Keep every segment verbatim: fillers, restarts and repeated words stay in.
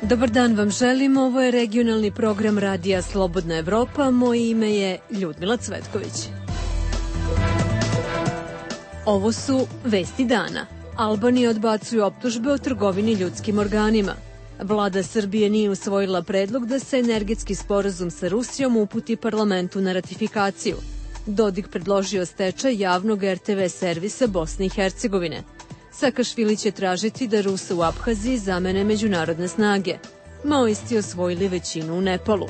Dobar dan vam želim, ovo je regionalni program Radija Slobodna Evropa, moje ime je Ljudmila Cvetković. Ovo su vesti dana. Albanija odbacuje optužbe o trgovini ljudskim organima. Vlada Srbije nije usvojila predlog da se energetski sporazum sa Rusijom uputi parlamentu na ratifikaciju. Dodik predložio stečaj javnog er te ve servisa Bosne i Hercegovine. Sakašvili će tražiti da Ruse u Abhaziji zamene međunarodne snage. Maoisti osvojili većinu u Nepalu.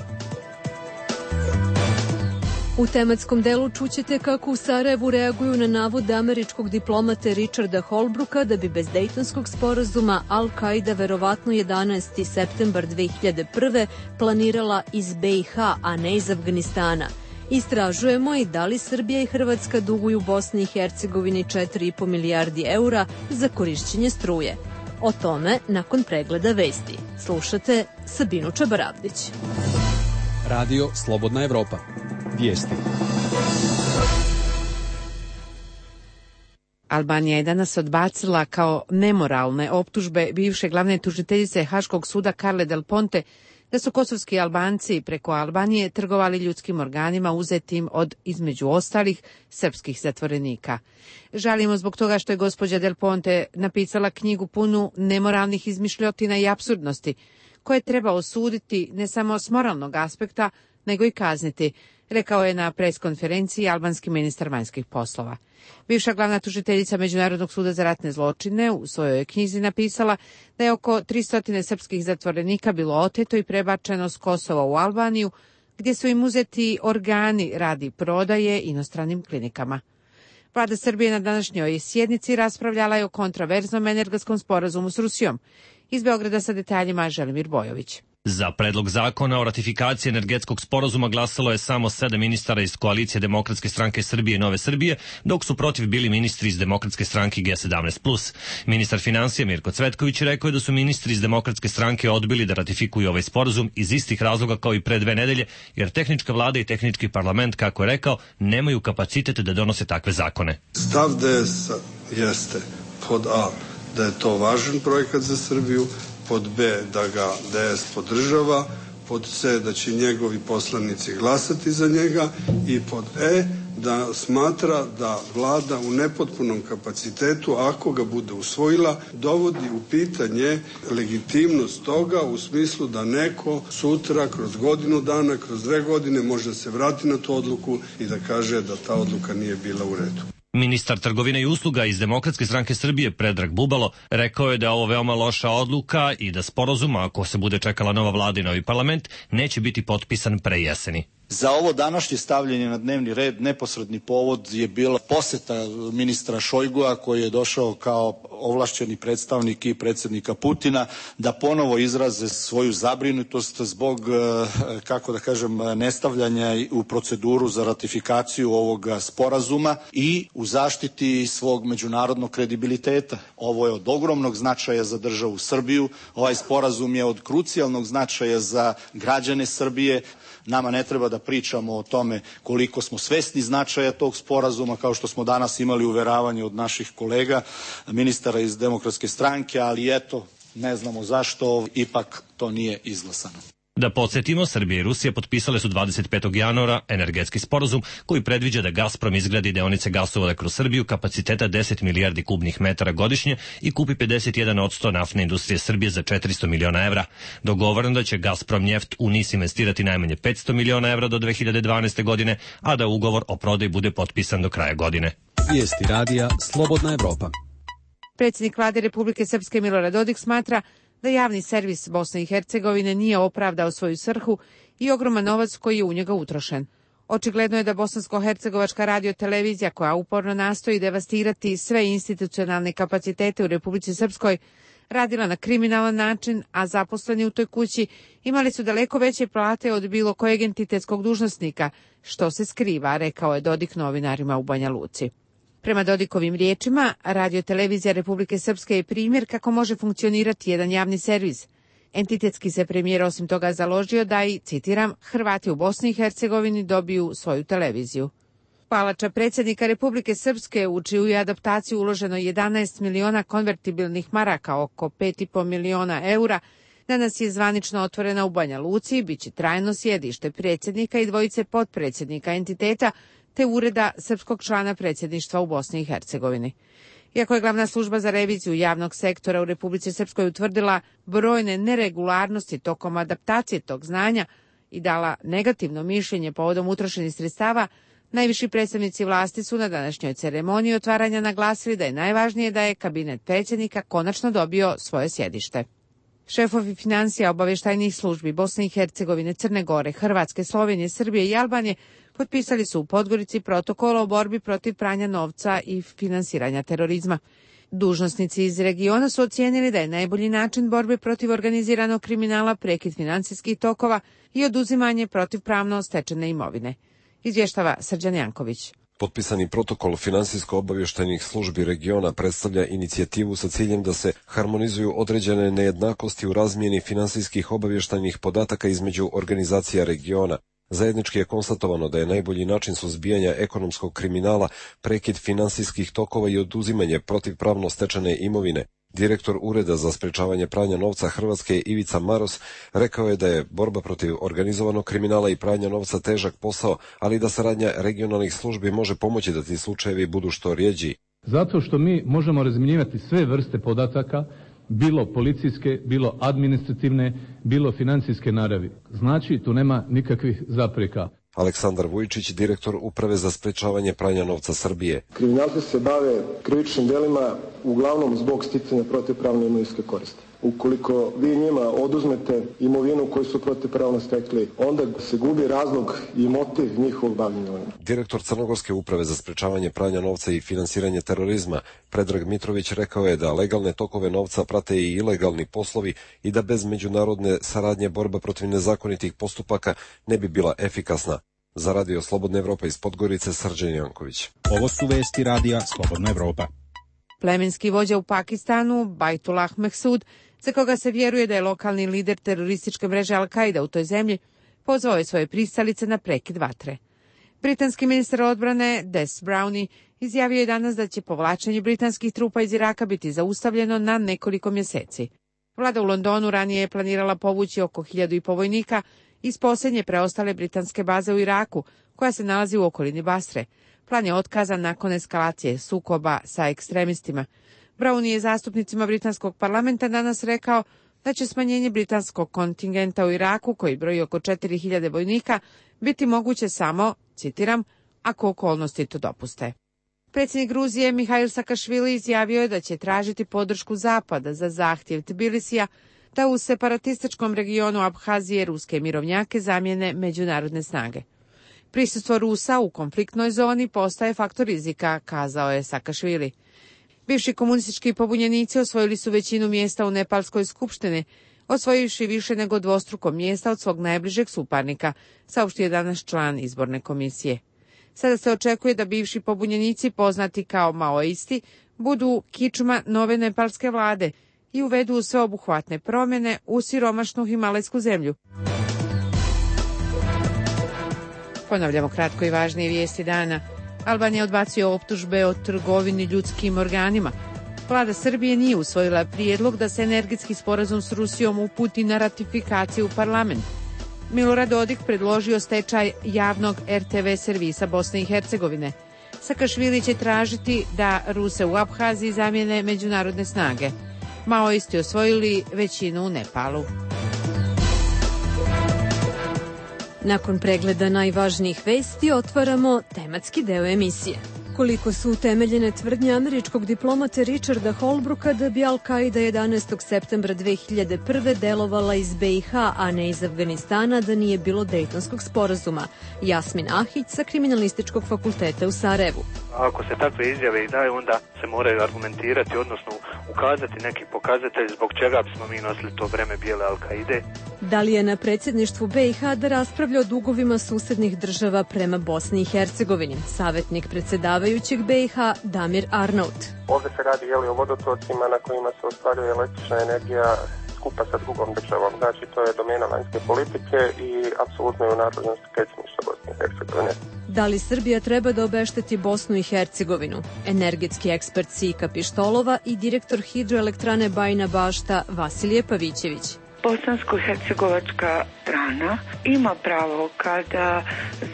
U tematskom delu čućete kako u Sarajevu reaguju na navod američkog diplomate Richarda Holbrooka da bi bez Dejtonskog sporazuma Al-Kaida verovatno jedanaesti septembar dve hiljade prve planirala iz be i ha, a ne iz Afganistana. Istražujemo i da li Srbija i Hrvatska duguju Bosni i Hercegovini četiri i po milijardi eura za korišćenje struje. O tome nakon pregleda vesti. Slušate Sabinu Čabaravdić. Radio Slobodna Evropa. Vijesti. Albanija je danas odbacila kao nemoralne optužbe bivše glavne tužiteljice Haškog suda Carle Del Ponte da su kosovski Albanci preko Albanije trgovali ljudskim organima uzetim od, između ostalih, srpskih zatvorenika. Žalimo zbog toga što je gospođa Del Ponte napisala knjigu punu nemoralnih izmišljotina i apsurdnosti, koje treba osuditi ne samo s moralnog aspekta, nego i kazniti, rekao je na preskonferenciji albanski ministar vanjskih poslova. Bivša glavna tužiteljica Međunarodnog suda za ratne zločine u svojoj knjizi napisala da je oko tristo srpskih zatvorenika bilo oteto i prebačeno s Kosova u Albaniju, gdje su im uzeti organi radi prodaje inostranim klinikama. Vlada Srbije na današnjoj sjednici raspravljala je o kontraverznom energetskom sporazumu s Rusijom. Iz Beograda sa detaljima Želimir Bojović. Za predlog zakona o ratifikaciji energetskog sporazuma glasalo je samo sedam ministara iz koalicije Demokratske stranke Srbije i Nove Srbije, dok su protiv bili ministri iz Demokratske stranke ge sedamnaest plus. Ministar financija Mirko Cvetković rekao je da su ministri iz Demokratske stranke odbili da ratifikuju ovaj sporazum iz istih razloga kao i pre dve nedelje, jer tehnička vlada i tehnički parlament, kako je rekao, nemaju kapacitet da donose takve zakone. Stav de es-a jeste pod A, da je to važan projekat za Srbiju, pod B, da ga de es podržava, pod C, da će njegovi poslanici glasati za njega i pod E, da smatra da vlada u nepotpunom kapacitetu, ako ga bude usvojila, dovodi u pitanje legitimnost toga u smislu da neko sutra, kroz godinu dana, kroz dve godine može da se vrati na tu odluku i da kaže da ta odluka nije bila u redu. Ministar trgovine i usluga iz Demokratske stranke Srbije Predrag Bubalo rekao je da je ovo veoma loša odluka i da sporazum, ako se bude čekala nova vlada i novi parlament, neće biti potpisan pre jeseni. Za ovo današnje stavljanje na dnevni red neposredni povod je bila poseta ministra Šojgua, koji je došao kao ovlašćeni predstavnik i predsjednika Putina da ponovo izraze svoju zabrinutost zbog, kako da kažem, nestavljanja u proceduru za ratifikaciju ovog sporazuma i u zaštiti svog međunarodnog kredibiliteta. Ovo je od ogromnog značaja za državu Srbiju, ovaj sporazum je od krucijalnog značaja za građane Srbije. Nama ne treba da pričamo o tome koliko smo svesni značaja tog sporazuma, kao što smo danas imali uveravanje od naših kolega, ministara iz Demokratske stranke, ali eto, ne znamo zašto, ipak to nije izglasano. Da podsjetimo, Srbija i Rusija potpisale su dvadeset petog januara energetski sporazum koji predviđa da Gazprom izgradi deonice gasovoda kroz Srbiju kapaciteta deset milijardi kubnih metara godišnje i kupi pedeset jedan posto naftne industrije Srbije za četiristo miliona evra. Dogovoreno da će Gazprom njeft u NIS investirati najmanje petsto miliona evra do dve hiljade dvanaeste. godine, a da ugovor o prodaji bude potpisan do kraja godine. Vijesti radija Slobodna Evropa. Predsjednik vlade Republike Srpske Milorad Dodik smatra da javni servis Bosne i Hercegovine nije opravdao svoju svrhu i ogroman novac koji je u njega utrošen. Očigledno je da bosansko-hercegovačka radiotelevizija, koja uporno nastoji devastirati sve institucionalne kapacitete u Republici Srpskoj, radila na kriminalan način, a zaposleni u toj kući imali su daleko veće plate od bilo kojeg entitetskog dužnosnika, što se skriva, rekao je Dodik novinarima u Banja Luci. Prema Dodikovim riječima, radiotelevizija Republike Srpske je primjer kako može funkcionirati jedan javni servis. Entitetski se premijer osim toga založio da i, citiram, Hrvati u Bosni i Hercegovini dobiju svoju televiziju. Palača predsjednika Republike Srpske, u čiju je adaptaciju uloženo jedanaest miliona konvertibilnih maraka, oko pet i po miliona eura, Danas je zvanično otvorena u Banja Luci i bit će trajno sjedište predsjednika i dvojice potpredsjednika entiteta te ureda srpskog člana predsjedništva u Bosni i Hercegovini. Iako je glavna služba za reviziju javnog sektora u Republici Srpskoj utvrdila brojne neregularnosti tokom adaptacije tog znanja i dala negativno mišljenje povodom utrošenih sredstava, najviši predstavnici vlasti su na današnjoj ceremoniji otvaranja naglasili da je najvažnije da je kabinet predsjednika konačno dobio svoje sjedište. Šefovi financija obavještajnih službi Bosne i Hercegovine, Crne Gore, Hrvatske, Slovenije, Srbije i Albanije potpisali su u Podgorici protokol o borbi protiv pranja novca i finansiranja terorizma. Dužnosnici iz regiona su ocijenili da je najbolji način borbe protiv organiziranog kriminala prekid financijskih tokova i oduzimanje protivpravno stečene imovine. Izvještava Srđan Janković. Potpisani protokol finansijsko-obavještajnih službi regiona predstavlja inicijativu sa ciljem da se harmonizuju određene nejednakosti u razmjeni finansijskih obavještajnih podataka između organizacija regiona. Zajednički je konstatovano da je najbolji način suzbijanja ekonomskog kriminala prekid finansijskih tokova i oduzimanje protivpravno stečene imovine. Direktor Ureda za sprečavanje pranja novca Hrvatske Ivica Maros rekao je da je borba protiv organizovanog kriminala i pranja novca težak posao, ali da saradnja regionalnih službi može pomoći da ti slučajevi budu što rjeđi. Zato što mi možemo razmjenjivati sve vrste podataka, bilo policijske, bilo administrativne, bilo financijske naravi. Znači, tu nema nikakvih zapreka. Aleksandar Vujčić, direktor Uprave za sprečavanje pranja novca Srbije. Kriminalci se bave krivičnim delima uglavnom zbog sticanja protivpravne imovinske koristi. Ukoliko vi njima oduzmete imovinu koju su protivpravno stekli, onda se gubi razlog i motiv njihovog bavljenja ovim. Direktor Crnogorske uprave za sprečavanje pranja novca i finansiranje terorizma, Predrag Mitrović, rekao je da legalne tokove novca prate i ilegalni poslovi i da bez međunarodne saradnje borba protiv nezakonitih postupaka ne bi bila efikasna. Za Radio Slobodna Evropa iz Podgorice, Srđan Janković. Ovo su vesti Radija Slobodna Evropa. Plemenski vođa u Pakistanu, Bajtullah Mehsud, za koga se vjeruje da je lokalni lider terorističke mreže Al-Qaida u toj zemlji, pozvao je svoje pristalice na prekid vatre. Britanski ministar odbrane Des Brownie izjavio je danas da će povlačenje britanskih trupa iz Iraka biti zaustavljeno na nekoliko mjeseci. Vlada u Londonu ranije je planirala povući oko hiljadu i po vojnika iz posljednje preostale britanske baze u Iraku, koja se nalazi u okolini Basre. Plan je otkazan nakon eskalacije sukoba sa ekstremistima. Brownie je zastupnicima britanskog parlamenta danas rekao da će smanjenje britanskog kontingenta u Iraku, koji broji oko četiri hiljade vojnika, biti moguće samo, citiram, ako okolnosti to dopuste. Predsjednik Gruzije Mihail Sakašvili izjavio je da će tražiti podršku Zapada za zahtjev Tbilisija da u separatističkom regionu Abhazije ruske mirovnjake zamijene međunarodne snage. Prisustvo Rusa u konfliktnoj zoni postaje faktor rizika, kazao je Sakašvili. Bivši komunistički pobunjenici osvojili su većinu mjesta u Nepalskoj skupštini, osvojivši više nego dvostruko mjesta od svog najbližeg suparnika, saopštio je danas član izborne komisije. Sada se očekuje da bivši pobunjenici, poznati kao maoisti, budu kičma nove nepalske vlade i uvedu sveobuhvatne promjene u siromašnu himalajsku zemlju. Ponavljamo kratko i važnije vijesti dana. Albanija odbacio optužbe o trgovini ljudskim organima. Vlada Srbije nije usvojila prijedlog da se energetski sporazum s Rusijom uputi na ratifikaciju u parlament. Milorad Dodik predložio stečaj javnog er te ve servisa Bosne i Hercegovine. Sakašvili će tražiti da Ruse u Abhaziji zamijene međunarodne snage. Maoisti osvojili većinu u Nepalu. Nakon pregleda najvažnijih vesti otvaramo tematski deo emisije. Koliko su utemeljene tvrdnje američkog diplomate Richarda Holbrooka da bi Al-Qaida jedanaestog septembra dve hiljade prve delovala iz be i ha, a ne iz Afganistana, da nije bilo Dejtonskog sporazuma. Jasmin Ahić sa Kriminalističkog fakulteta u Sarajevu. Ako se takve izjave i daju, onda se moraju argumentirati, odnosno ukazati neki pokazatelj zbog čega bismo mi nosili to vreme bijele Al-Qaide. Da li je na predsjedništvu be i ha da raspravlja o dugovima susednih država prema Bosni i Hercegovini? Savjetnik predsjedavajućeg be i ha Damir Arnaut. Ovdje se radi jeli, o vodotocima na kojima se ostvaruje električna energija skupa sa drugom državom. Znači, to je domena vanjske politike i apsolutno je u nadležnosti predsjedništva Bosne i Hercegovine. Da li Srbija treba da obešteti Bosnu i Hercegovinu? Energetski ekspert Sika Pištolova i direktor hidroelektrane Bajina Bašta Vasilije Pavićević. Bosansko-hercegovačka strana ima pravo kada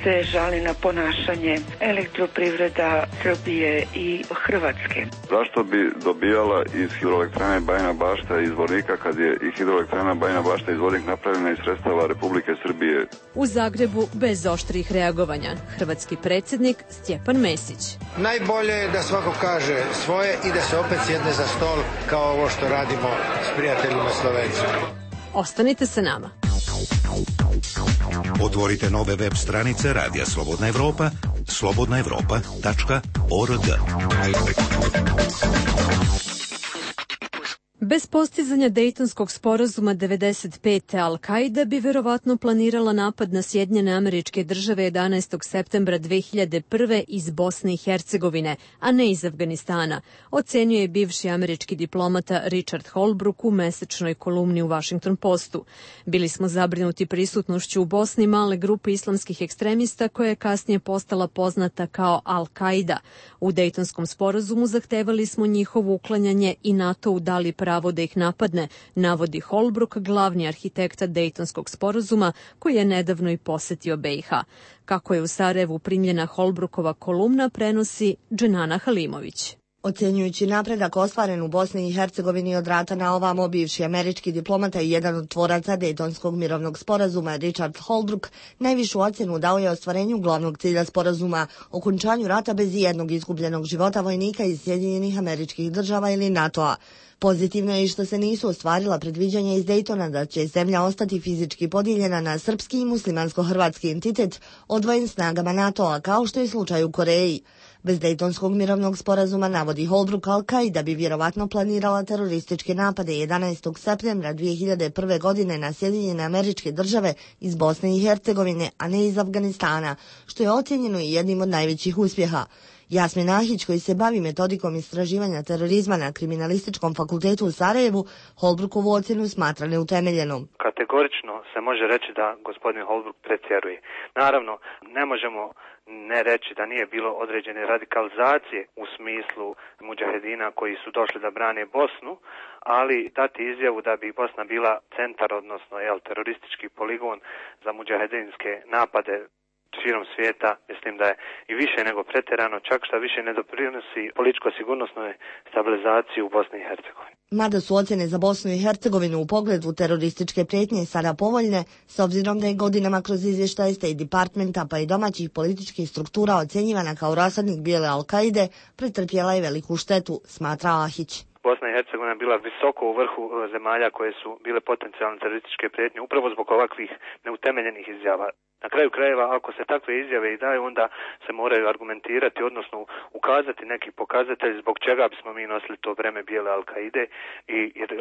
se žali na ponašanje Elektroprivreda Srbije i Hrvatske. Zašto bi dobijala iz hidroelektrane Bajina Bašta izvornika kad je i hidroelektrana Bajina Bašta izvornik napravljena iz sredstava Republike Srbije? U Zagrebu bez oštrih reagovanja. Hrvatski predsjednik Stjepan Mesić. Najbolje je da svako kaže svoje i da se opet sjedne za stol kao ovo što radimo s prijateljima Slovencima. Ostanite sa nama. Otvorite nove web stranice Radija Slobodna Evropa, slobodna evropa tačka org. Bez postizanja Dejtonskog sporazuma devedeset pete Al-Kaida bi verovatno planirala napad na Sjedinjene Američke Države jedanaestog septembra dve hiljade prve iz Bosne i Hercegovine, a ne iz Afganistana, ocenio je bivši američki diplomata Richard Holbrooke u mesečnoj kolumni u Washington Postu. Bili smo zabrinuti prisutnošću u Bosni male grupe islamskih ekstremista koja je kasnije postala poznata kao Al-Kaida. U Dejtonskom sporazumu zahtevali smo njihovo uklanjanje i NATO udali pravo da ih napadne, navodi Holbrooke, glavni arhitekta Dejtonskog sporazuma, koji je nedavno i posetio B i H. Kako je u Sarajevu primljena Holbrookova kolumna, prenosi Dženana Halimović. Ocenjujući napredak ostvaren u Bosni i Hercegovini od rata na ovamo, bivši američki diplomata i jedan od tvoraca Dejtonskog mirovnog sporazuma Richard Holbrooke najvišu ocjenu dao je ostvarenju glavnog cilja sporazuma, okončanju rata bez jednog izgubljenog života vojnika iz Sjedinjenih Američkih Država ili NATO-a. Pozitivno je i što se nisu ostvarila predviđanja iz Dejtona da će zemlja ostati fizički podijeljena na srpski i muslimansko-hrvatski entitet odvojen snagama NATO-a, kao što je slučaj u Koreji. Bez Dejtonskog mirovnog sporazuma, navodi Holbrooke, Al-Kaida bi vjerovatno planirala terorističke napade jedanaestog septembra dve hiljade prve. godine na Sjedinjene Američke Države iz Bosne i Hercegovine, a ne iz Afganistana, što je ocjenjeno i jednim od najvećih uspjeha. Jasmin Ahić, koji se bavi metodikom istraživanja terorizma na Kriminalističkom fakultetu u Sarajevu, Holbrookovu ocjenu smatra neutemeljenom. Kategorično se može reći da gospodin Holbrooke pretjeruje. Naravno, ne možemo ne reći da nije bilo određene radikalizacije u smislu mudžahedina koji su došli da brane Bosnu, ali dati izjavu da bi Bosna bila centar, odnosno jel, teroristički poligon za mudžahedinske napade širom svijeta, mislim da je i više nego pretjerano, čak šta više ne doprinosi političko-sigurnosnoj stabilizaciji u Bosni i Hercegovini. Mada su ocjene za Bosnu i Hercegovinu u pogledu terorističke prijetnje sada povoljne, s obzirom da je godinama kroz izvještaje State Departmenta pa i domaćih političkih struktura ocjenjivana kao rasadnik bijele Al-Kaide, pretrpjela je veliku štetu, smatra Ahić. Bosna i Hercegovina bila visoko u vrhu zemalja koje su bile potencijalne terorističke prijetnje upravo zbog ovakvih neutemeljenih izjava. Na kraju krajeva, ako se takve izjave i daju, onda se moraju argumentirati, odnosno ukazati neki pokazatelj zbog čega bismo mi nosili to breme bijele Al-Kaide i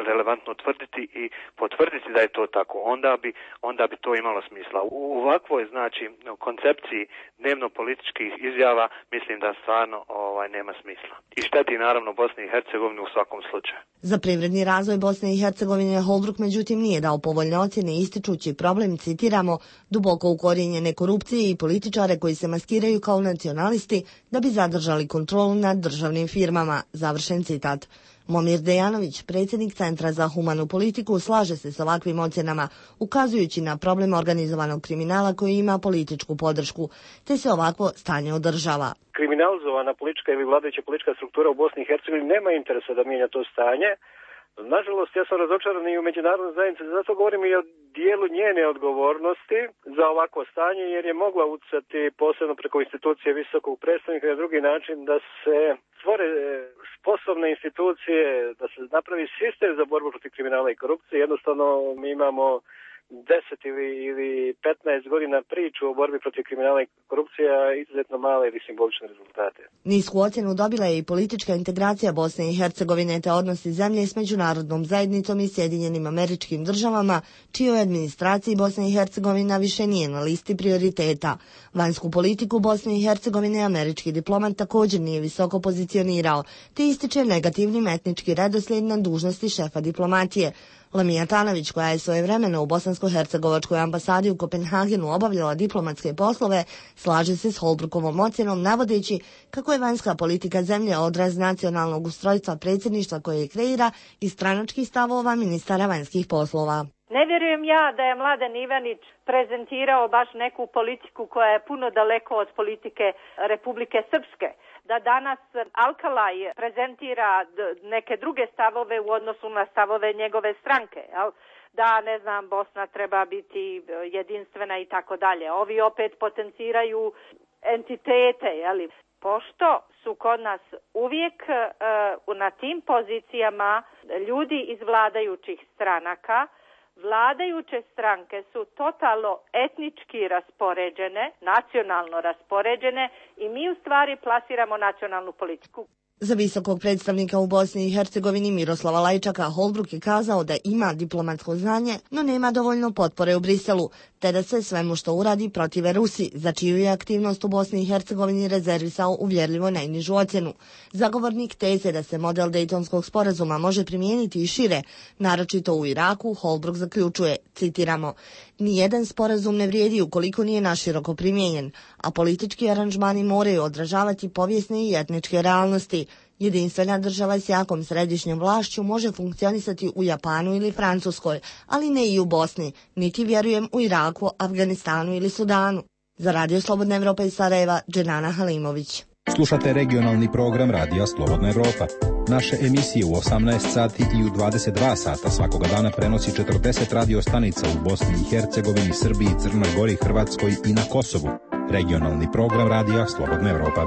relevantno tvrditi i potvrditi da je to tako. Onda bi, onda bi to imalo smisla. U ovakvoj, znači, koncepciji dnevno-političkih izjava mislim da stvarno ovaj, nema smisla. I šteti naravno Bosni i Hercegovini u svakom slučaju. Za privredni razvoj Bosne i Hercegovine Holbrooke međutim nije dao povoljne ocjene, ističući problem, citiramo, duboko ukorijenjene korupcije i političare koji se maskiraju kao nacionalisti da bi zadržali kontrolu nad državnim firmama, završen citat. Momir Dejanović, predsjednik Centra za humanu politiku, slaže se s ovakvim ocjenama, ukazujući na problem organizovanog kriminala koji ima političku podršku, te se ovakvo stanje održava. Kriminalizovana politička ili vladajuća politička struktura u Bosni i Hercegovini nema interesa da mijenja to stanje. Nažalost, ja sam razočaran i u međunarodnoj zajednici, zato govorim i o dijelu njene odgovornosti za ovakvo stanje, jer je mogla utjecati posebno preko institucije visokog predstavnika na drugi način da se stvore sposobne institucije, da se napravi sistem za borbu protiv kriminala i korupcije. Jednostavno mi imamo deset ili, ili petnaest godina priču o borbi protiv kriminala i korupcije, a izuzetno male ili simbolične rezultate. Nisku ocjenu dobila je i politička integracija Bosne i Hercegovine te odnosi zemlje s međunarodnom zajednicom i Sjedinjenim Američkim Državama, čijoj administraciji Bosna i Hercegovina više nije na listi prioriteta. Vanjsku politiku Bosne i Hercegovine američki diplomat također nije visoko pozicionirao, te ističe negativnim etnički redoslijed na dužnosti šefa diplomatije. Lamija Tanović, koja je svojevremeno u bosansko-hercegovačkoj ambasadi u Kopenhagenu obavljala diplomatske poslove, slaže se s Holbrookovom ocjenom, navodeći kako je vanjska politika zemlje odraz nacionalnog ustrojstva predsjedništva koje kreira i stranačkih stavova ministara vanjskih poslova. Ne vjerujem ja da je Mladen Ivanić prezentirao baš neku politiku koja je puno daleko od politike Republike Srpske. Da danas Alkalaj prezentira neke druge stavove u odnosu na stavove njegove stranke, jel? Da, ne znam, Bosna treba biti jedinstvena i tako dalje. Ovi opet potenciraju entitete, jeli? Pošto su kod nas uvijek uh, na tim pozicijama ljudi iz vladajućih stranaka, vladajuće stranke su totalno etnički raspoređene, nacionalno raspoređene i mi u stvari plasiramo nacionalnu politiku. Za visokog predstavnika u Bosni i Hercegovini Miroslava Lajčaka Holbruk je kazao da ima diplomatsko znanje, no nema dovoljno potpore u Briselu, te da se svemu što uradi protive Rusi, za čiju je aktivnost u Bosni i Hercegovini rezervisao uvjerljivo najnižu ocjenu. Zagovornik teze da se model Dejtonskog sporazuma može primijeniti i šire, naročito u Iraku, Holbruk zaključuje, citiramo, nijedan sporazum ne vrijedi ukoliko nije naširoko primijenjen, a politički aranžmani moraju odražavati povijesne i etničke realnosti. Jedinstvena država s jakom središnjom vlašću može funkcionisati u Japanu ili Francuskoj, ali ne i u Bosni, niti vjerujem u Iraku, Afganistanu ili Sudanu. Za Radio Slobodna Evropa iz Sarajeva, Dženana Halimović. Slušate regionalni program Radija Slobodna Evropa. Naše emisije u osamnaest sati i u dvadeset dva sata svakoga dana prenosi četrdeset radio stanica u Bosni i Hercegovini, Srbiji, Crnoj Gori, Hrvatskoj i na Kosovu. Regionalni program Radija Slobodna Evropa.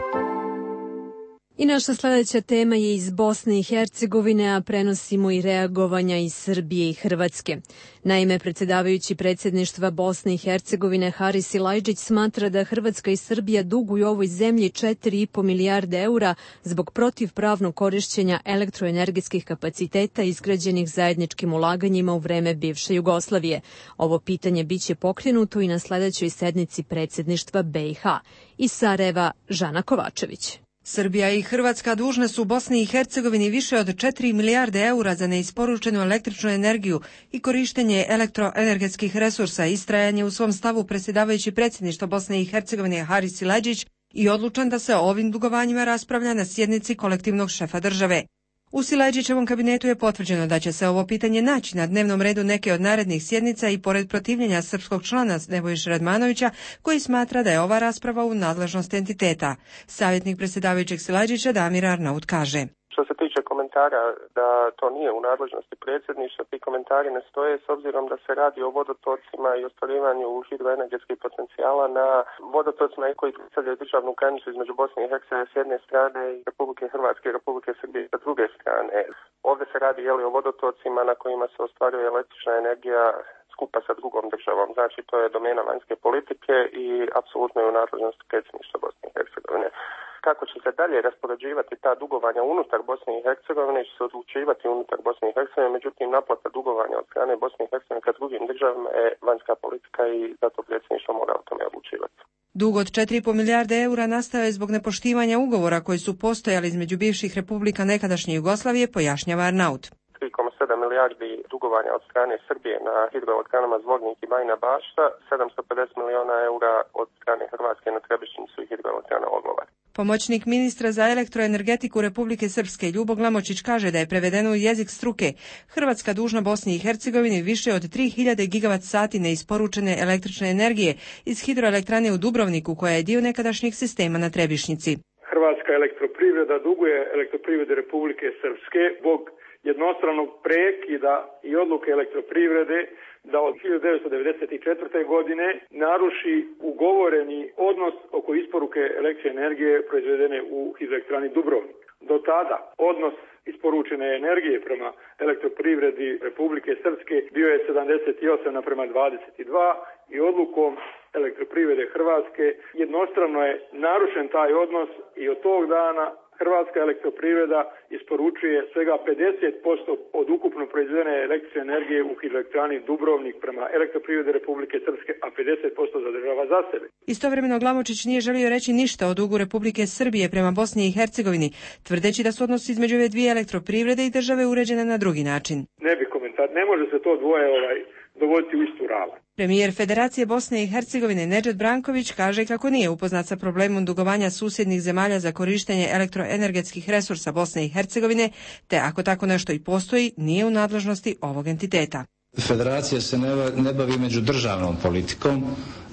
I naša sljedeća tema je iz Bosne i Hercegovine, a prenosimo i reagovanja iz Srbije i Hrvatske. Naime, predsjedavajući predsjedništva Bosne i Hercegovine Haris Silajdžić smatra da Hrvatska i Srbija duguju ovoj zemlji četiri i po milijarde eura zbog protivpravnog korišćenja elektroenergetskih kapaciteta izgrađenih zajedničkim ulaganjima u vreme bivše Jugoslavije. Ovo pitanje biće pokrenuto i na sljedećoj sednici predsjedništva B i H. Iz Sarajeva, Žana Kovačević. Srbija i Hrvatska dužne su Bosni i Hercegovini više od četiri milijarde eura za neisporučenu električnu energiju i korištenje elektroenergetskih resursa. Istrajanje u svom stavu predsjedavajući predsjedništvo Bosne i Hercegovine Haris Silajdžić i odlučan da se o ovim dugovanjima raspravlja na sjednici kolektivnog šefa države. U Silajdžićevom kabinetu je potvrđeno da će se ovo pitanje naći na dnevnom redu neke od narednih sjednica i pored protivljenja srpskog člana Nebojše Radmanovića, koji smatra da je ova rasprava u nadležnosti entiteta. Savjetnik predsjedavajućeg Silajdžića Damir Arnaut kaže: Što se tiče komentara da to nije u nadležnosti predsjedništva, ti komentari ne stoje s obzirom da se radi o vodotocima i ostvarivanju hidroenergetskih potencijala na vodotocima koji predstavljaju državnu granicu između Bosne i Hercegovine s jedne strane i Republike Hrvatske i Republike Srbije s druge strane. Ovdje se radi jeli, o vodotocima na kojima se ostvaruje električna energija skupa sa drugom državom. Znači, to je domena vanjske politike i apsolutno je u nadležnosti predsjedništva Bosne i Hercegovine. Kako će se dalje raspoređivati ta dugovanja unutar Bosne i Hercegovine, će se odlučivati unutar Bosne i Hercegovine, međutim naplata dugovanja od strane Bosne i Hercegovine ka drugim državama je vanjska politika i zato predsjedništvo mora o tome odlučivati. Dug od četiri i po milijarde eura nastao je zbog nepoštivanja ugovora koji su postojali između bivših republika nekadašnje Jugoslavije, pojašnjava Arnaut. tri zarez sedam milijardi dugovanja od strane Srbije na hidroelektranama Zvornik i Bajina Bašta, sedamsto pedeset miliona eura od strane Hrvatske na Trebišnjicu i hidroelektrana Odlovar. Pomoćnik ministra za elektroenergetiku Republike Srpske Ljubo Glamočić kaže da je prevedeno u jezik struke Hrvatska dužna Bosni i Hercegovini više od tri hiljade gigavat sati neisporučene električne energije iz hidroelektrane u Dubrovniku, koja je dio nekadašnjeg sistema na Trebišnjici. Hrvatska elektroprivreda duguje elektroprivrede Republike Srpske zbog jednostranog prekida i odluke elektroprivrede da od hiljadu devetsto devedeset četvrte. godine naruši ugovoreni odnos oko isporuke električne energije proizvedene u hidroelektrani Dubrovnik. Do tada odnos isporučene energije prema elektroprivredi Republike Srpske bio je sedamdeset osam naprema dvadeset dva i odlukom elektroprivrede Hrvatske jednostrano je narušen taj odnos i od tog dana Hrvatska elektroprivreda isporučuje svega pedeset posto od ukupno proizvedene električne energije u hidroelektrani Dubrovnik prema elektroprivrede Republike Srpske, a pedeset posto zadržava za sebe. Istovremeno Glamočić nije želio reći ništa o dugu Republike Srbije prema Bosni i Hercegovini, tvrdeći da su odnosi između ove dvije elektroprivrede i države uređene na drugi način. Ne bi komentar, ne može se to dvoje ovaj, dovoditi u istu ravan. Premijer Federacije Bosne i Hercegovine Nedžad Branković kaže kako nije upoznat sa problemom dugovanja susjednih zemalja za korištenje elektroenergetskih resursa Bosne i Hercegovine, te ako tako nešto i postoji, nije u nadležnosti ovog entiteta. Federacija se ne bavi međudržavnom politikom.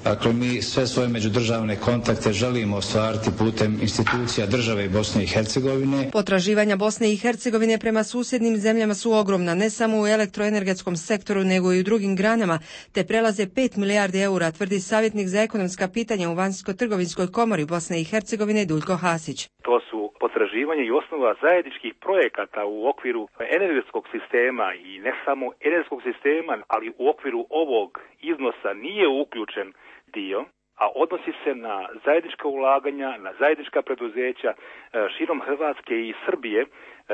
Dakle, mi sve svoje međudržavne kontakte želimo ostvariti putem institucija države i Bosne i Hercegovine. Potraživanja Bosne i Hercegovine prema susjednim zemljama su ogromna, ne samo u elektroenergetskom sektoru, nego i u drugim granama, te prelaze pet milijardi eura, tvrdi savjetnik za ekonomska pitanja u Vanjsko-trgovinskoj komori Bosne i Hercegovine Duljko Hasić. To su potraživanje i osnova zajedničkih projekata u okviru energetskog sistema i ne samo energetskog sistema, ali u okviru ovog iznosa nije uključen dio, a odnosi se na zajednička ulaganja, na zajednička preduzeća širom Hrvatske i Srbije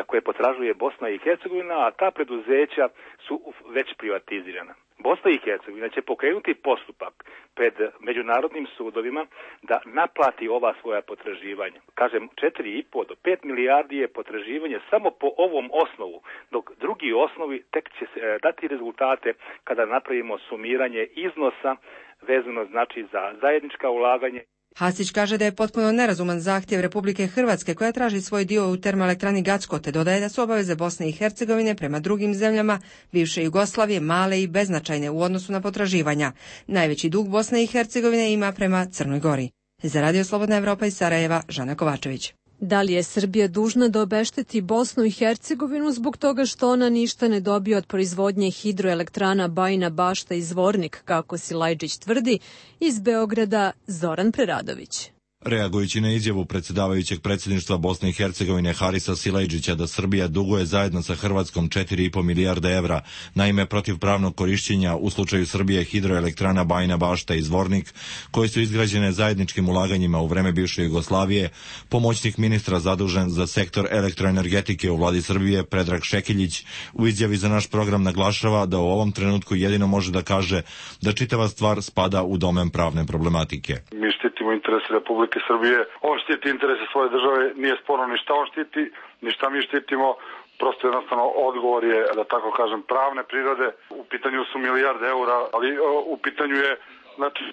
koje potražuje Bosna i Hercegovina, a ta preduzeća su već privatizirana. Bosna i Hercegovina će pokrenuti postupak pred međunarodnim sudovima da naplati ova svoja potraživanja. Kažem, četiri i po do pet milijardi je potraživanje samo po ovom osnovu, dok drugi osnovi tek će dati rezultate kada napravimo sumiranje iznosa vezano znači za zajednička ulaganje. Hasić kaže da je potpuno nerazuman zahtjev Republike Hrvatske koja traži svoj dio u termoelektrani Gacko, te dodaje da su obaveze Bosne i Hercegovine prema drugim zemljama bivše Jugoslavije male i beznačajne u odnosu na potraživanja. Najveći dug Bosne i Hercegovine ima prema Crnoj Gori. Za Radio Slobodna Evropa iz Sarajeva, Žana Kovačević. Da li je Srbija dužna da obešteti Bosnu i Hercegovinu zbog toga što ona ništa ne dobije od proizvodnje hidroelektrana Bajina Bašta i Zvornik, kako Silajđić tvrdi? Iz Beograda Zoran Preradović. Reagujući na izjavu predsjedavajućeg predsjedništva Bosne i Hercegovine Harisa Silajđića da Srbija duguje zajedno sa Hrvatskom četiri i po milijarde evra na ime protivpravnog korišćenja u slučaju Srbije hidroelektrana Bajina Bašta i Zvornik, koje su izgrađene zajedničkim ulaganjima u vreme bivše Jugoslavije, pomoćnik ministra zadužen za sektor elektroenergetike u vladi Srbije Predrag Šekiljić u izjavi za naš program naglašava da u ovom trenutku jedino može da kaže da čitava stvar spada u domen pravne problematike. Mi štitimo interese Republike Srbije, on štiti interese svoje države, nije sporno ni šta on štiti, ni šta mi štitimo, prosto jednostavno odgovor je, da tako kažem, pravne prirode, u pitanju su milijarde eura, ali u pitanju je znači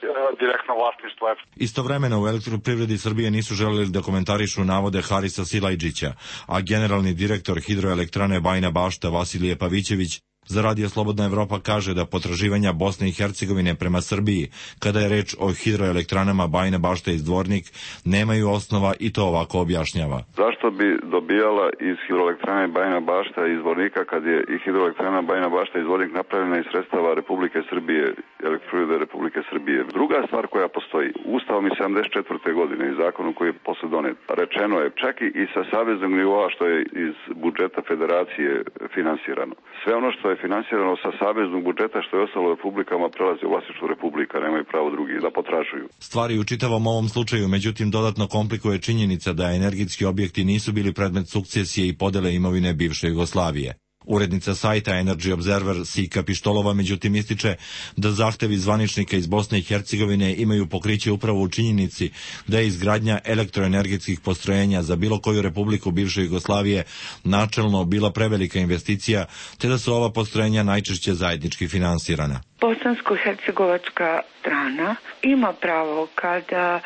direktno vlasništvo. Istovremeno u Elektroprivredi Srbije nisu želeli da komentarišu navode Harisa Silajđića, a generalni direktor hidroelektrane Bajina Bašta Vasilije Pavićević za Radio Slobodna Evropa kaže da potraživanja Bosne i Hercegovine prema Srbiji, kada je reč o hidroelektranama Bajina Bašta i Zvornik, nemaju osnova i to ovako objašnjava. Zašto bi dobijala iz hidroelektrane Bajina Bašta i Zvornika kad je i hidroelektrana Bajina Bašta i Zvornik napravljena iz sredstava Republike Srbije, Elektroprivrede Republike Srbije? Druga stvar koja postoji, Ustavom iz sedamdeset četvrte godine i zakonom koji je posle donet, rečeno je čak i sa saveznog nivoa što je iz budžeta federacije finansirano. Sve ono što je finansirano sa saveznog budžeta što je ostalo republikama prelazi u vlasništvo republika, nemaju pravo drugi da potražuju. Stvari u čitavom ovom slučaju međutim dodatno komplikuje činjenica da energetski objekti nisu bili predmet sukcesije i podele imovine bivše Jugoslavije. Urednica sajta Energy Observer Sika Pištolova međutim ističe da zahtevi zvaničnika iz Bosne i Hercegovine imaju pokriće upravo u činjenici da je izgradnja elektroenergetskih postrojenja za bilo koju republiku bivše Jugoslavije načelno bila prevelika investicija, te da su ova postrojenja najčešće zajednički finansirana. Bosansko-hercegovačka strana ima pravo kada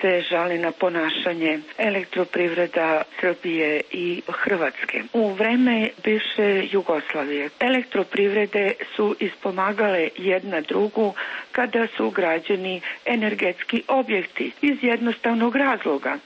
se žali na ponašanje Elektroprivreda Srbije i Hrvatske. U vreme bivše Jugoslavije elektroprivrede su ispomagale jedna drugu kada su građeni energetski objekti iz jednostavnog razloga.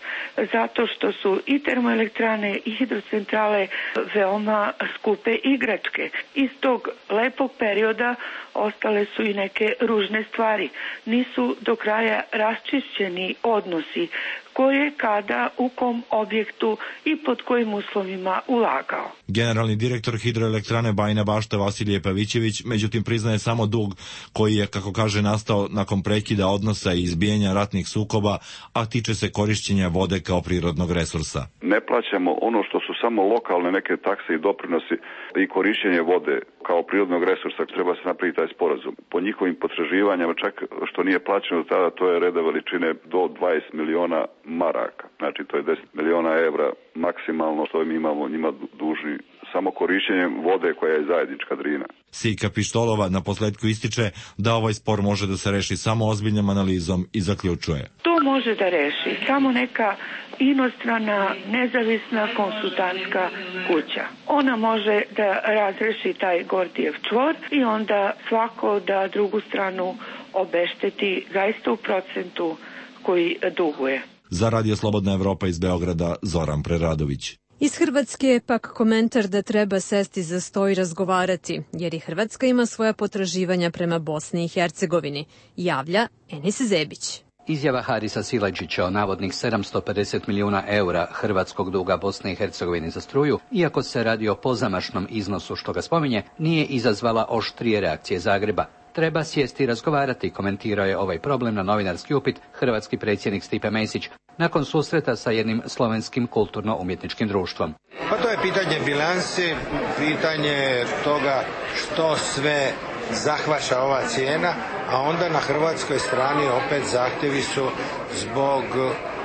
Zato što su i termoelektrane i hidrocentrale veoma skupe igračke. Iz tog lepog perioda ostale su i neke ružne stvari. Nisu do kraja raščišćeni odnosi koje kada u kom objektu i pod kojim uslovima ulagao. Generalni direktor hidroelektrane Bajina Bašta Vasilije Pavićević međutim priznaje samo dug koji je, kako kaže, nastao nakon prekida odnosa i izbijanja ratnih sukoba, a tiče se korišćenja vode kao prirodnog resursa. Ne plaćamo ono što su samo lokalne neke takse i doprinosi i korišćenje vode kao prirodnog resursa, treba se napraviti taj sporazum. Po njihovim potraživanjama, čak što nije plaćeno do tada, to je reda veličine do dvadeset miliona maraka. Znači to je deset miliona evra maksimalno što mi imamo njima dužni samo korišćenjem vode koja je zajednička Drina. Sika Pištolova na posledku ističe da ovaj spor može da se reši samo ozbiljnom analizom i zaključuje. To može da reši samo neka inostrana, nezavisna konsultantska kuća. Ona može da razreši taj Gordijev čvor i onda svako da drugu stranu obešteti zaista u procentu koji duguje. Za Radio Slobodna Evropa iz Beograda, Zoran Preradović. Iz Hrvatske je pak komentar da treba sesti za sto i razgovarati, jer i Hrvatska ima svoja potraživanja prema Bosni i Hercegovini, javlja Enis Zebić. Izjava Harisa Silajdžića o navodnih sedamsto pedeset milijuna eura hrvatskog duga Bosne i Hercegovine za struju, iako se radi o pozamašnom iznosu što ga spominje, nije izazvala oštrije reakcije Zagreba. Treba sjesti i razgovarati, komentirao je ovaj problem na novinarski upit hrvatski predsjednik Stipe Mesić nakon susreta sa jednim slovenskim kulturno-umjetničkim društvom. Pa to je pitanje bilansi, pitanje toga što sve zahvaća ova cijena, a onda na hrvatskoj strani opet zahtjevi su zbog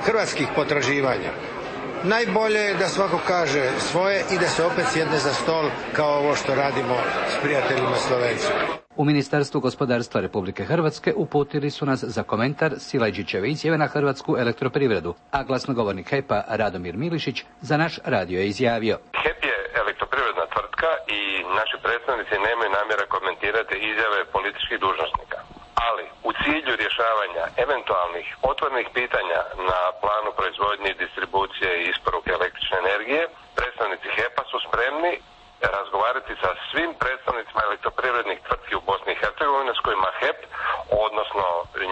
hrvatskih potraživanja. Najbolje je da svako kaže svoje i da se opet sjedne za stol kao ovo što radimo s prijateljima Slovencima. U Ministarstvu gospodarstva Republike Hrvatske uputili su nas za komentar Silajdžićeve izjave na Hrvatsku elektroprivredu, a glasnogovornik H E P-a Radomir Milišić za naš radio je izjavio. H E P je elektroprivredna tvrtka i naši predstavnici nemaju namjera komentirati izjave političkih dužnosnika. Ali u cilju rješavanja eventualnih otvorenih pitanja na planu proizvodnje i distribucije i isporuke električne energije, predstavnici H E P-a su spremni razgovarati sa svim predstavnicima elektroprivrednih tvrtki u Bosni i Hercegovini s kojima H E P, odnosno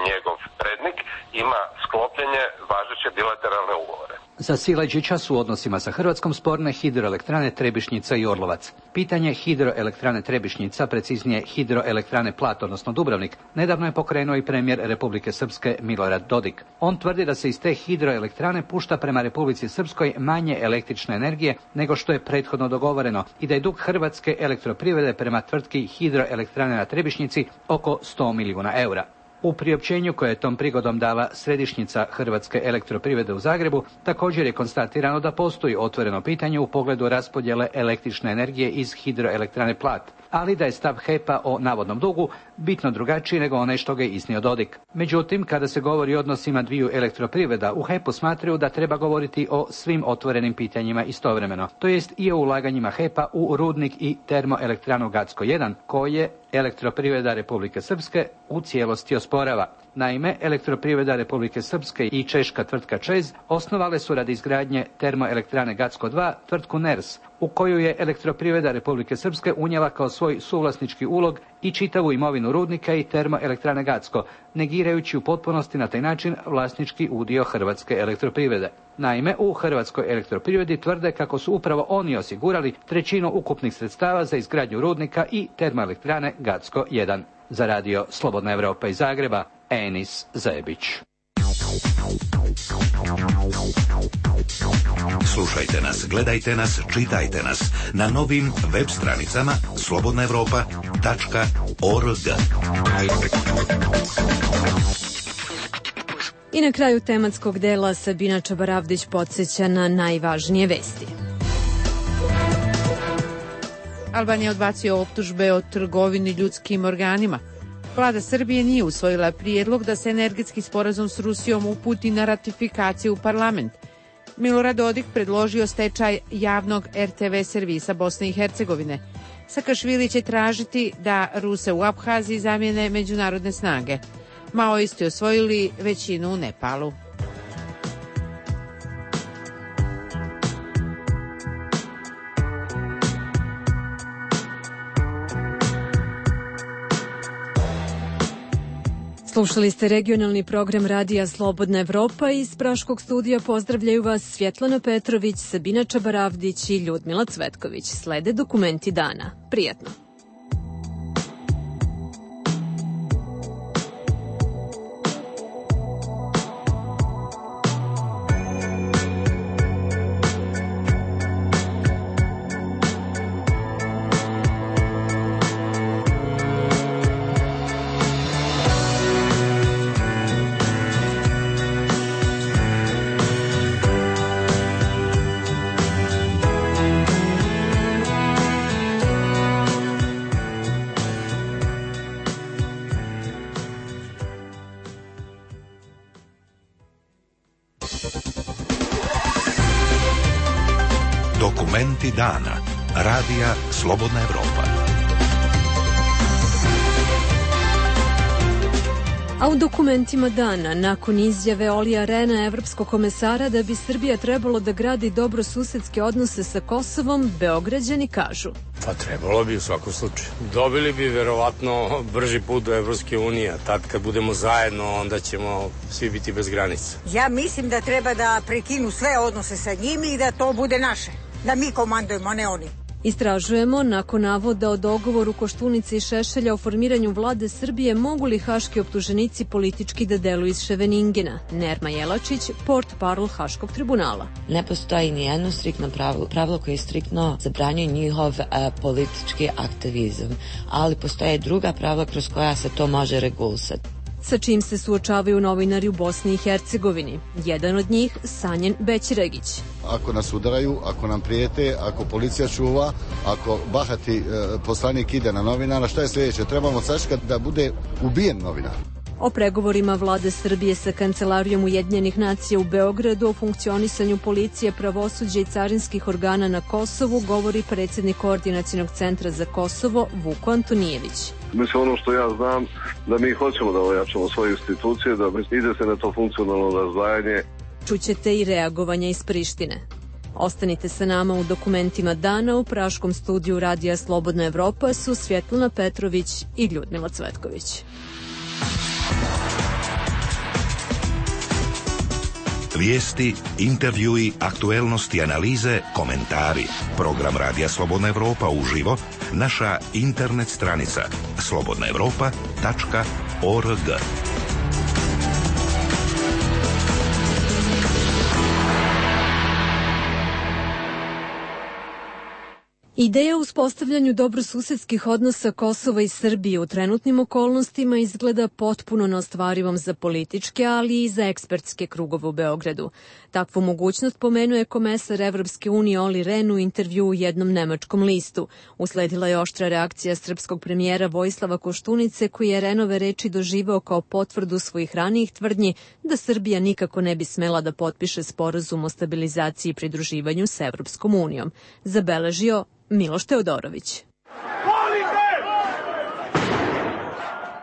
njegov prednik, ima sklopljene važeće bilateralne ugovore. Za Silajdžića su u odnosima sa Hrvatskom sporne hidroelektrane Trebišnjica i Orlovac. Pitanje hidroelektrane Trebišnjica, preciznije hidroelektrane Plat, odnosno Dubrovnik, nedavno je pokrenuo i premijer Republike Srpske Milorad Dodik. On tvrdi da se iz te hidroelektrane pušta prema Republici Srpskoj manje električne energije nego što je prethodno dogovoreno i da je dug Hrvatske elektroprivrede prema tvrtki hidroelektrane na Trebišnjici oko sto milijuna eura. U priopćenju koje je tom prigodom dala središnjica Hrvatske elektroprivrede u Zagrebu, također je konstatirano da postoji otvoreno pitanje u pogledu raspodjele električne energije iz hidroelektrane Plat, ali da je stav H E P-a o navodnom dugu bitno drugačiji nego onaj što ga je iznio Dodik. Međutim, kada se govori o odnosima dviju elektroprivreda, u H E P-u smatraju da treba govoriti o svim otvorenim pitanjima istovremeno, to jest i o ulaganjima H E P-a u rudnik i termoelektranu Gacko jedan, koje elektroprivreda Republike Srpske u cijelosti osporava. Naime, elektroprivreda Republike Srpske i češka tvrtka ČEZ osnovale su radi izgradnje termoelektrane Gacko dva tvrtku N E R S, u koju je elektroprivreda Republike Srpske unijela kao svoj suvlasnički ulog i čitavu imovinu rudnika i termoelektrane Gacko, negirajući u potpunosti na taj način vlasnički udio Hrvatske elektroprivrede. Naime, u Hrvatskoj elektroprivredi tvrde kako su upravo oni osigurali trećinu ukupnih sredstava za izgradnju rudnika i termoelektrane Gacko jedan. Za radio Slobodna Evropa iz Zagreba, Enis Zebić. Slušajte nas, gledajte nas, čitajte nas na novim web stranicama slobodna evropa tačka org. I na kraju tematskog dela Sabina Čabaravdić podsjeća na najvažnije vesti. Albanija odbacio optužbe o trgovini ljudskim organima. Vlada Srbije nije usvojila prijedlog da se energetski sporazum s Rusijom uputi na ratifikaciju u parlament. Milorad Dodik predložio stečaj javnog R T V servisa Bosne i Hercegovine. Sakašvili će tražiti da Ruse u Abhaziji zamijene međunarodne snage. Maoisti osvojili većinu u Nepalu. Slušali ste regionalni program Radija Slobodna Evropa. Iz Praškog studija pozdravljaju vas Svjetlana Petrović, Sabina Čabaravdić i Ljudmila Cvetković. Slede dokumenti dana. Prijatno. Dokumenti dana. Radija Slobodna Evropa. A u dokumentima dana, nakon izjave Olija Rena, evropskog komesara, da bi Srbija trebalo da gradi dobrosusedske odnose sa Kosovom, Beograđani kažu. Pa trebalo bi u svakom slučaju. Dobili bi verovatno brži put do Evropske unije, a tad kad budemo zajedno, onda ćemo svi biti bez granica. Ja mislim da treba da prekinu sve odnose sa njimi i da to bude naše. Da mi komandujemo, a ne oni. Istražujemo, nakon navoda o dogovoru Koštunice i Šešelja o formiranju vlade Srbije, mogu li haški optuženici politički da deluju iz Ševeningena? Nerma Jelačić, portparol Haškog tribunala. Ne postoji ni jedno striktno pravilo, pravilo koje striktno zabranjuje njihov a, politički aktivizam, ali postoje druga pravila kroz koja se to može regulisati. Sa čim se suočavaju novinari u Bosni i Hercegovini. Jedan od njih, Sanjen Bećiregić. Ako nas udaraju, ako nam prijete, ako policija čuva, ako bahati e, poslanik ide na novinara, šta je sljedeće? Trebamo sačekati da bude ubijen novinar. O pregovorima vlade Srbije sa Kancelarijom Ujedinjenih nacija u Beogradu o funkcionisanju policije, pravosuđa i carinskih organa na Kosovu govori predsjednik Koordinacionog centra za Kosovo Vuko Antonijević. Mislim, ono što ja znam, da mi hoćemo da ojačamo svoje institucije, da ide se na to funkcionalno razdvajanje. Čućete i reagovanja iz Prištine. Ostanite sa nama u dokumentima dana. U praškom studiju Radija Slobodna Evropa su Svjetlana Petrović i Ljudmila Cvetković. Vijesti, intervjui, aktuelnosti, analize, komentari. Program Radija Slobodna Evropa uživo, naša internet stranica slobodna evropa tačka org. Ideja o uspostavljanju dobrosusedskih odnosa Kosova i Srbije u trenutnim okolnostima izgleda potpuno neostvarivom za političke, ali i za ekspertske krugove u Beogradu. Takvu mogućnost pomenuje komesar Evropske unije Oli Rehn u intervju u jednom nemačkom listu. Usledila je oštra reakcija srpskog premijera Vojislava Koštunice, koji je Rehnove reči doživeo kao potvrdu svojih ranijih tvrdnji da Srbija nikako ne bi smela da potpiše sporazum o stabilizaciji i pridruživanju s Evropskom unijom. Zabeležio Miloš Teodorović.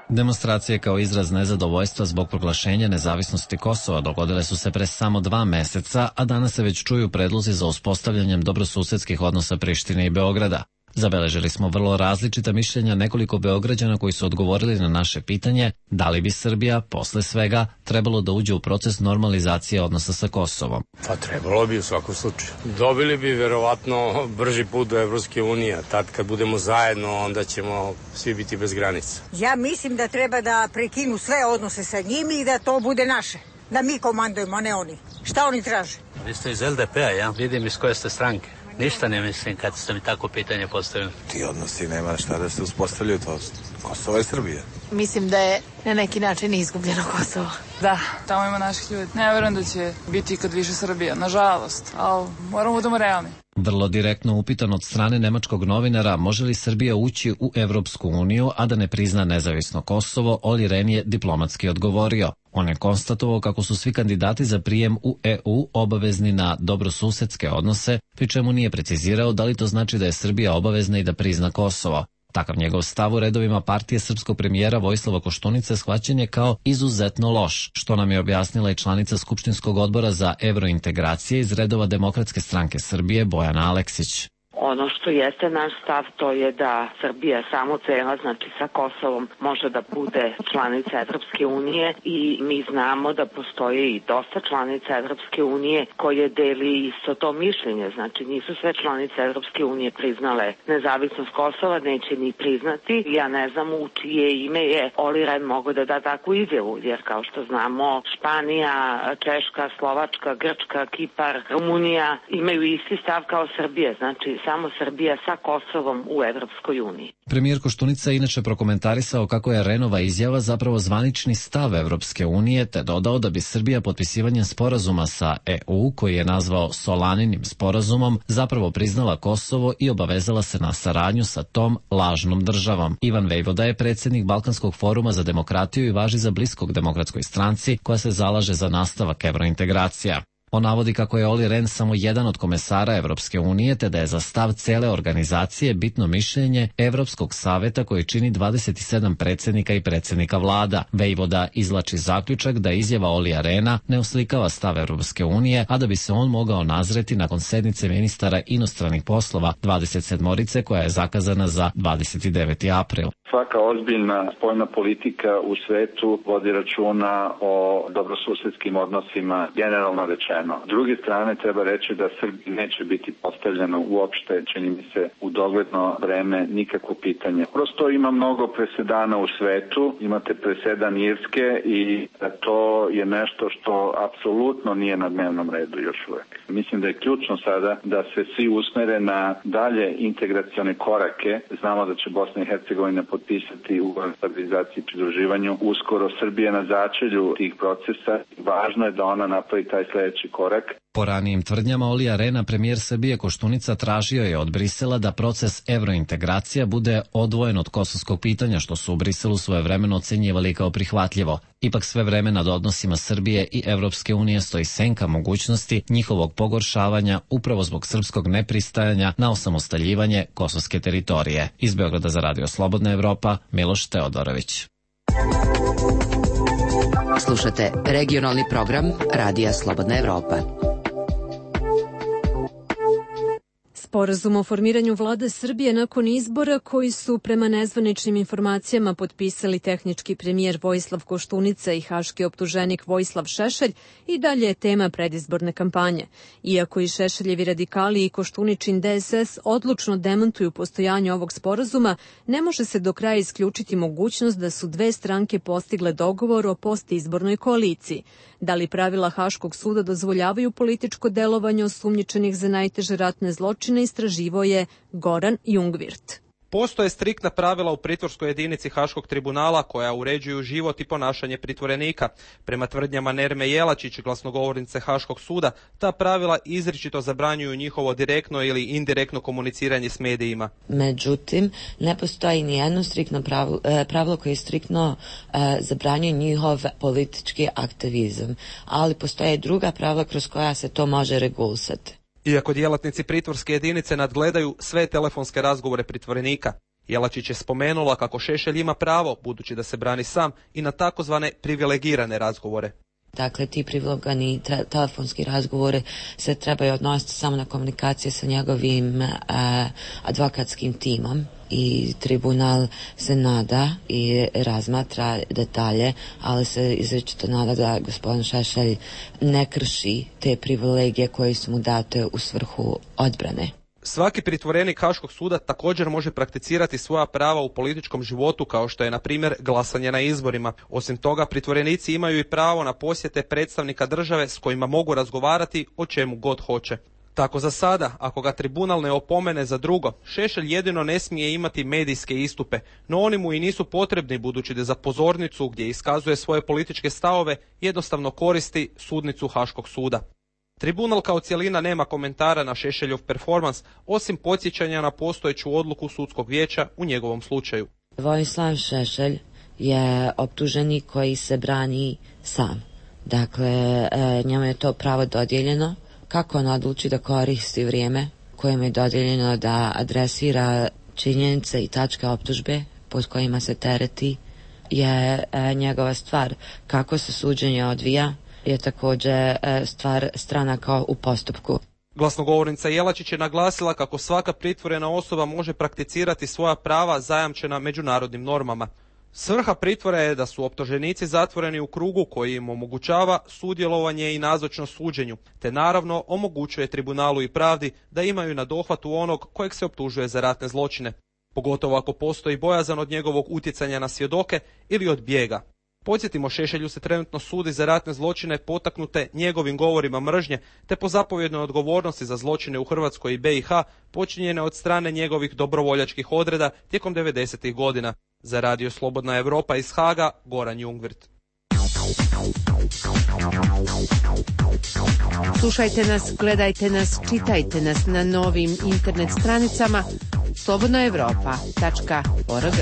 Demonstracije kao izraz nezadovoljstva zbog proglašenja nezavisnosti Kosova dogodile su se pre samo dva meseca, a danas se već čuju predlozi za uspostavljanjem dobrosusedskih odnosa Prištine i Beograda. Zabeležili smo vrlo različita mišljenja nekoliko Beograđana koji su odgovorili na naše pitanje da li bi Srbija, posle svega, trebalo da uđe u proces normalizacije odnosa sa Kosovom. Pa trebalo bi u svakom slučaju. Dobili bi verovatno brži put do Evropske unije, tad kad budemo zajedno, onda ćemo svi biti bez granica. Ja mislim da treba da prekinu sve odnose sa njimi i da to bude naše. Da mi komandujemo, a ne oni. Šta oni traže? Vi ste iz L D P-a, ja? Vidim iz koje ste stranke. Ništa ne mislim kad ste mi tako pitanje postavili. Ti odnosi nema šta da se uspostavljaju, to Kosovo i Srbija. Mislim da je na neki način izgubljeno Kosovo. Da, tamo ima naših ljudi. Ne verujem da će biti ikad više Srbija, nažalost, ali moramo budemo realni. Vrlo direktno upitan od strane nemačkog novinara može li Srbija ući u Evropsku uniju, a da ne prizna nezavisno Kosovo, Oli Rehn je diplomatski odgovorio. On je konstatovao kako su svi kandidati za prijem u E U obavezni na dobrosusedske odnose, pri čemu nije precizirao da li to znači da je Srbija obavezna i da prizna Kosovo. Takav njegov stav u redovima partije srpskog premijera Vojislava Koštunice shvaćen je kao izuzetno loš, što nam je objasnila i članica Skupštinskog odbora za evrointegracije iz redova Demokratske stranke Srbije Bojana Aleksić. Ono što jeste naš stav, to je da Srbija samo cela, znači sa Kosovom, može da bude članica Evropske unije i mi znamo da postoje i dosta članica Evropske unije koje deli isto to mišljenje. Znači nisu sve članice Evropske unije priznale nezavisnost Kosova, neće ni priznati. Ja ne znam u čije ime je Oli Rehn mogao da da takvu izjavu, jer kao što znamo Španija, Češka, Slovačka, Grčka, Kipar, Rumunija imaju isti stav kao Srbija, znači samo Srbija sa Kosovom u Evropskoj uniji. Premijer Koštunica je inače prokomentarisao kako je Rehnova izjava zapravo zvanični stav Evropske unije, te dodao da bi Srbija potpisivanjem sporazuma sa E U, koji je nazvao Solaninim sporazumom, zapravo priznala Kosovo i obavezala se na saradnju sa tom lažnom državom. Ivan Vejvoda je predsjednik Balkanskog foruma za demokratiju i važi za bliskog demokratskoj stranci koja se zalaže za nastavak evrointegracija. On navodi kako je Olli Rehn samo jedan od komesara Evropske unije, te da je za stav cele organizacije bitno mišljenje Evropskog saveta koji čini dvadeset sedam predsjednika i predsjednika vlada. Vejvoda izvlači zaključak da izjava Ollija Rehna ne oslikava stav Evropske unije, a da bi se on mogao nazreti nakon sednice ministara inostranih poslova dvadeset sedmorice koja je zakazana za dvadeset deveti april. Svaka ozbiljna spoljna politika u svetu vodi računa o dobrosusedskim odnosima, generalno rečeno. S druge strane treba reći da Srbiji neće biti postavljeno uopšte, čini mi se, u dogledno vreme nikakvo pitanje. Prosto ima mnogo presedana u svetu, imate presedan Irske i to je nešto što apsolutno nije na dnevnom redu još uvek. Mislim da je ključno sada da se svi usmere na dalje integracione korake. Znamo da će Bosna i Hercegovina potpisati ugovor o stabilizaciji i pridruživanju. Uskoro Srbija na začelju tih procesa. Važno je da ona napravi taj sljedeći korak. Po ranijim tvrdnjama Ollija Rehna, premijer Srbije Koštunica tražio je od Brisela da proces evrointegracija bude odvojen od kosovskog pitanja, što su u Briselu svojevremeno ocenjivali kao prihvatljivo. Ipak sve vreme nad odnosima Srbije i Evropske unije stoji senka mogućnosti njihovog pogoršavanja upravo zbog srpskog nepristajanja na osamostaljivanje kosovske teritorije. Iz Beograda za Radio Slobodna Evropa, Miloš Teodorović. Slušate regionalni program Radija Slobodna Evropa. Sporazum o formiranju vlade Srbije nakon izbora koji su prema nezvaničnim informacijama potpisali tehnički premijer Vojislav Koštunica i haški optuženik Vojislav Šešelj i dalje je tema predizborne kampanje. Iako i Šešeljevi radikali i Koštuničin D S S odlučno demantuju postojanje ovog sporazuma, ne može se do kraja isključiti mogućnost da su dve stranke postigle dogovor o postizbornoj koaliciji. Da li pravila Haškog suda dozvoljavaju političko delovanje osumnjičenih za najteže ratne zločine, istraživao je Goran Jungwirth. Postoje striktna pravila u pritvorskoj jedinici Haškog tribunala koja uređuju život i ponašanje pritvorenika. Prema tvrdnjama Nerme Jelačić, glasnogovornice Haškog suda, ta pravila izričito zabranjuju njihovo direktno ili indirektno komuniciranje s medijima. Međutim, ne postoji ni jedno striktno pravilo, pravilo koje striktno e, zabranjuje njihov politički aktivizam, ali postoje druga pravila kroz koja se to može regulisati. Iako djelatnici pritvorske jedinice nadgledaju sve telefonske razgovore pritvorenika, Jelačić je spomenula kako Šešelj ima pravo, budući da se brani sam, i na takozvane privilegirane razgovore. Dakle, ti privilegirani telefonski razgovore se trebaju odnositi samo na komunikacije sa njegovim uh, advokatskim timom i tribunal se nada i razmatra detalje, ali se izričito nada da gospodin Šešelj ne krši te privilegije koje su mu date u svrhu odbrane. Svaki pritvorenik Haškog suda također može prakticirati svoja prava u političkom životu, kao što je, na primjer, glasanje na izborima. Osim toga, pritvorenici imaju i pravo na posjete predstavnika države s kojima mogu razgovarati o čemu god hoće. Tako za sada, ako ga tribunal ne opomene za drugo, Šešelj jedino ne smije imati medijske istupe, no oni mu i nisu potrebni, budući da za pozornicu gdje iskazuje svoje političke stavove jednostavno koristi sudnicu Haškog suda. Tribunal kao cjelina nema komentara na Šešeljov performans, osim podsjećanja na postojeću odluku sudskog vijeća u njegovom slučaju. Vojislav Šešelj je optuženik koji se brani sam. Dakle, njemu je to pravo dodijeljeno. Kako on odluči da koristi vrijeme kojem je dodijeljeno da adresira činjenice i tačke optužbe pod kojima se tereti je njegova stvar. Kako se suđenje odvija je također stvar stranaka u postupku. Glasnogovornica Jelačić je naglasila kako svaka pritvorena osoba može prakticirati svoja prava zajamčena međunarodnim normama. Svrha pritvora je da su optuženici zatvoreni u krugu koji im omogućava sudjelovanje i nazočnost suđenju, te naravno omogućuje tribunalu i pravdi da imaju na dohvatu onog kojeg se optužuje za ratne zločine, pogotovo ako postoji bojazan od njegovog utjecanja na svjedoke ili od bijega. Podsjetimo, Šešelju se trenutno sudi za ratne zločine potaknute njegovim govorima mržnje, te po zapovjednoj odgovornosti za zločine u Hrvatskoj i be i ha počinjene od strane njegovih dobrovoljačkih odreda tijekom devedesetih godina. Za Radio Slobodna Evropa iz Haga, Goran Jungwirth. Slušajte nas, gledajte nas, čitajte nas na novim internet stranicama slobodna evropa tačka org.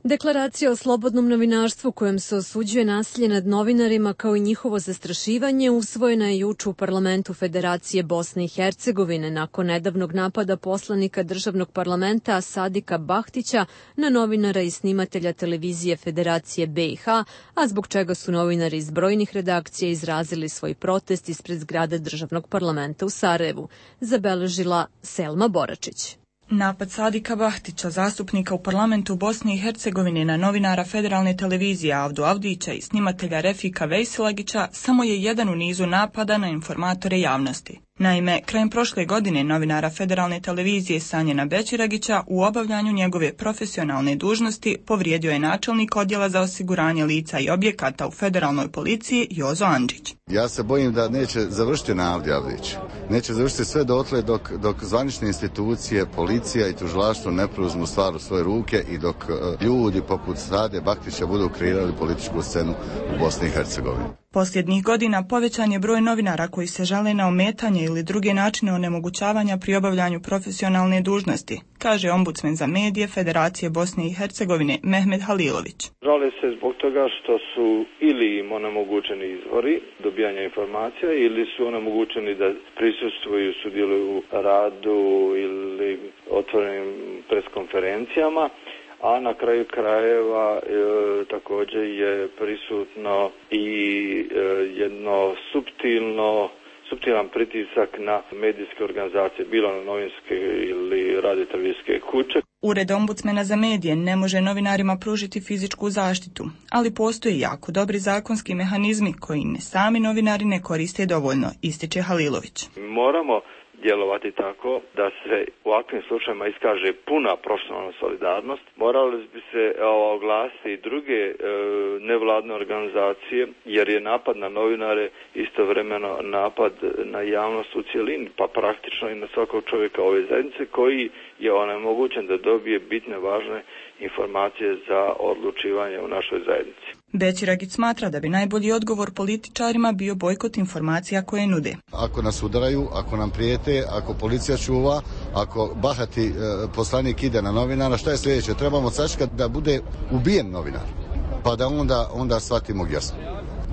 Deklaracija o slobodnom novinarstvu kojem se osuđuje nasilje nad novinarima kao i njihovo zastrašivanje usvojena je juče u parlamentu Federacije Bosne i Hercegovine nakon nedavnog napada poslanika državnog parlamenta Sadika Bahtića na novinara i snimatelja televizije Federacije B i H, a zbog čega su novinari iz brojnih redakcija izrazili svoj protest ispred zgrade državnog parlamenta u Sarajevu, zabeležila Selma Boračić. Napad Sadika Bahtića, zastupnika u parlamentu Bosne i Hercegovine na novinara federalne televizije Avdu Avdića i snimatelja Refika Vejsilagića samo je jedan u nizu napada na informatore javnosti. Naime, krajem prošle godine novinara federalne televizije Sanjena Bećiragića u obavljanju njegove profesionalne dužnosti povrijedio je načelnik odjela za osiguranje lica i objekata u federalnoj policiji Jozo Andžić. Ja se bojim da neće završiti na Avdi Avdić. Neće završiti sve dotle dok, dok zvanične institucije, policija i tužilaštvo ne preuzmu stvar u svoje ruke i dok uh, ljudi poput Sade Bahtića budu kreirali političku scenu u Bosni i Hercegovini. Posljednjih godina povećan je broj novinara koji se žale na ometanje ili druge načine onemogućavanja pri obavljanju profesionalne dužnosti, kaže ombudsmen za medije Federacije Bosne i Hercegovine Mehmed Halilović. Žale se zbog toga što su ili im onemogućeni izvori dobijanja informacija ili su onemogućeni da prisustvuju, sudjeluju u radu ili otvorenim preskonferencijama. A na kraju krajeva e, također je prisutno i e, jedno suptilno, suptilan pritisak na medijske organizacije, bilo na novinske ili radio-televizijske kuće. Ured ombudsmena za medije ne može novinarima pružiti fizičku zaštitu, ali postoje jako dobri zakonski mehanizmi koji ne sami novinari ne koriste dovoljno, ističe Halilović. Moramo djelovati tako da se u ovakvim slučajima iskaže puna profesionalna solidarnost. Morali bi se oglasiti i druge e, nevladne organizacije, jer je napad na novinare istovremeno napad na javnost u cjelini, pa praktično i na svakog čovjeka ove zajednice koji je onemogućen da dobije bitne važne informacije za odlučivanje u našoj zajednici. Bećiragić smatra da bi najbolji odgovor političarima bio bojkot informacija koje nude. Ako nas udaraju, ako nam prijete, ako policija čuva, ako bahati e, poslanik ide na novinara, šta je sljedeće? Trebamo sačekati da bude ubijen novinar, pa da onda, onda shvatimo jasno.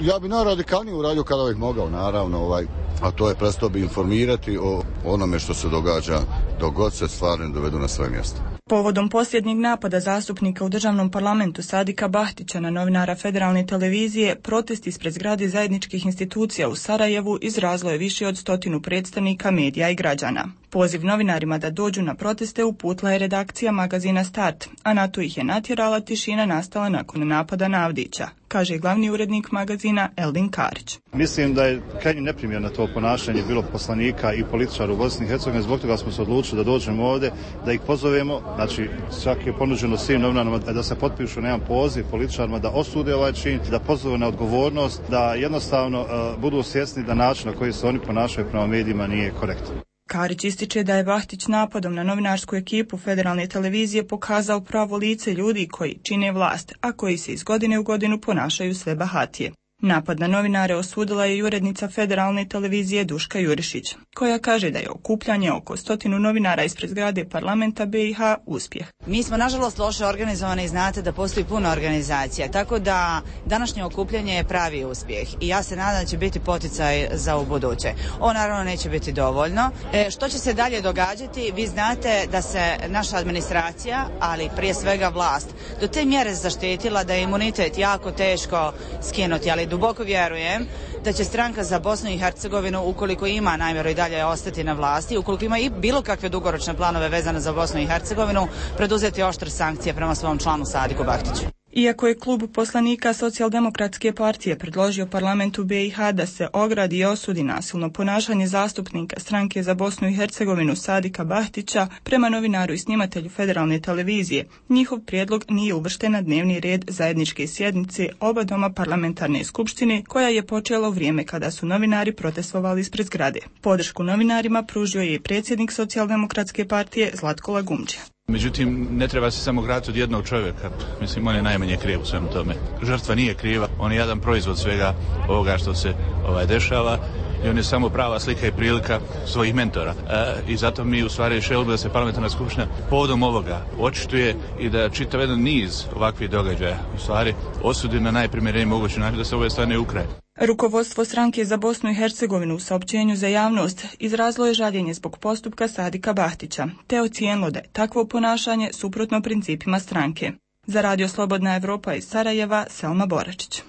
Ja bi najradikalnije uradio kada bih mogao, naravno, ovaj, a to je prestao bi informirati o onome što se događa dok god se stvari ne dovedu na svoje mjesto. Povodom posljednjeg napada zastupnika u državnom parlamentu Sadika Bahtića na novinara federalne televizije, protest ispred zgrade zajedničkih institucija u Sarajevu izrazilo je više od stotinu predstavnika medija i građana. Poziv novinarima da dođu na proteste uputila je redakcija magazina Start, a na to ih je natjerala tišina nastala nakon napada na Avdića, kaže glavni urednik magazina Eldin Karić. Mislim da je krajnje neprimjerno to ponašanje bilo poslanika i političara u Bosni i Hercegovini, zbog toga smo se odlučili da dođemo ovdje, da ih pozovemo, znači čak je ponuđeno svim novinarima da se potpišu na jedan poziv političarima da osude ovaj čin, da pozove na odgovornost, da jednostavno uh, budu svjesni da način na koji se oni ponašaju prema medijima nije korektan. Karić ističe da je Bahtić napadom na novinarsku ekipu federalne televizije pokazao pravo lice ljudi koji čine vlast, a koji se iz godine u godinu ponašaju sve bahatije. Napad na novinare osudila je i urednica federalne televizije Duška Jurišić, koja kaže da je okupljanje oko stotinu novinara ispred zgrade parlamenta B i H uspjeh. Mi smo nažalost loše organizovani i znate da postoji puno organizacija, tako da današnje okupljanje je pravi uspjeh i ja se nadam da će biti poticaj za ubuduće. Ovo naravno neće biti dovoljno. E, što će se dalje događati? Vi znate da se naša administracija, ali prije svega vlast, do te mjere zaštitila da je imunitet jako teško skinuti, ali duboko vjerujem da će stranka za Bosnu i Hercegovinu, ukoliko ima namjeru i dalje ostati na vlasti, ukoliko ima i bilo kakve dugoročne planove vezane za Bosnu i Hercegovinu, preduzeti oštre sankcije prema svom članu Sadiku Bahtiću. Iako je klub poslanika Socijaldemokratske partije predložio parlamentu B i H da se ogradi i osudi nasilno ponašanje zastupnika stranke za Bosnu i Hercegovinu Sadika Bahtića prema novinaru i snimatelju federalne televizije, njihov prijedlog nije uvršten na dnevni red zajedničke sjednice oba doma parlamentarne skupštine koja je počela u vrijeme kada su novinari protestovali ispred zgrade. Podršku novinarima pružio je i predsjednik Socijaldemokratske partije Zlatko Lagumdžija. Međutim, ne treba se samo graditi od jednog čovjeka. Mislim, on je najmanje kriv u svemu tome. Žrtva nije kriva, on je jedan proizvod svega ovoga što se ovaj, dešava i on je samo prava slika i prilika svojih mentora. E, I zato mi u stvari želimo da se parlamentarna skupština povodom ovoga očituje i da čitav jedan niz ovakvih događaja u stvari osudi na najprimjereniji mogući način da se ove stane u kraj. Rukovodstvo stranke za Bosnu i Hercegovinu u saopćenju za javnost izrazilo je žaljenje zbog postupka Sadika Bahtića, te ocijenilo da je takvo ponašanje suprotno principima stranke. Za Radio Slobodna Evropa iz Sarajeva, Selma Boračić.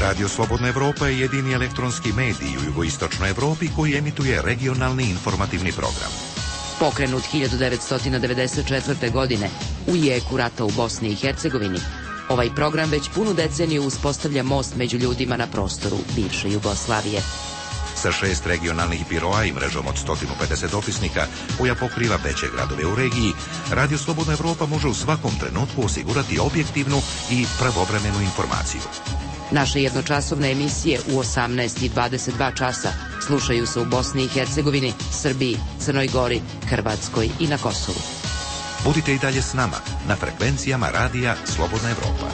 Radio Slobodna Evropa je jedini elektronski medij u jugoistočnoj Evropi koji emituje regionalni informativni program. Pokrenut hiljadu devetsto devedeset četvrte. godine u jeku rata u Bosni i Hercegovini, ovaj program već punu deceniju uspostavlja most među ljudima na prostoru bivše Jugoslavije. Sa šest regionalnih biroa i mrežom od sto pedeset dopisnika koja pokriva veće gradove u regiji, Radio Slobodna Evropa može u svakom trenutku osigurati objektivnu i pravovremenu informaciju. Naše jednočasovne emisije u osamnaest i dvadeset dva časa slušaju se u Bosni i Hercegovini, Srbiji, Crnoj Gori, Hrvatskoj i na Kosovu. Budite i dalje s nama na frekvencijama Radija Slobodna Evropa.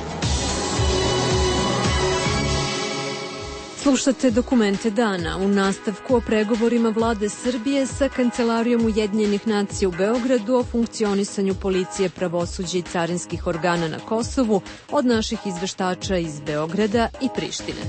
Slušate dokumente dana u nastavku o pregovorima vlade Srbije sa Kancelarijom Ujedinjenih nacija u Beogradu o funkcionisanju policije, pravosuđa i carinskih organa na Kosovu od naših izveštača iz Beograda i Prištine.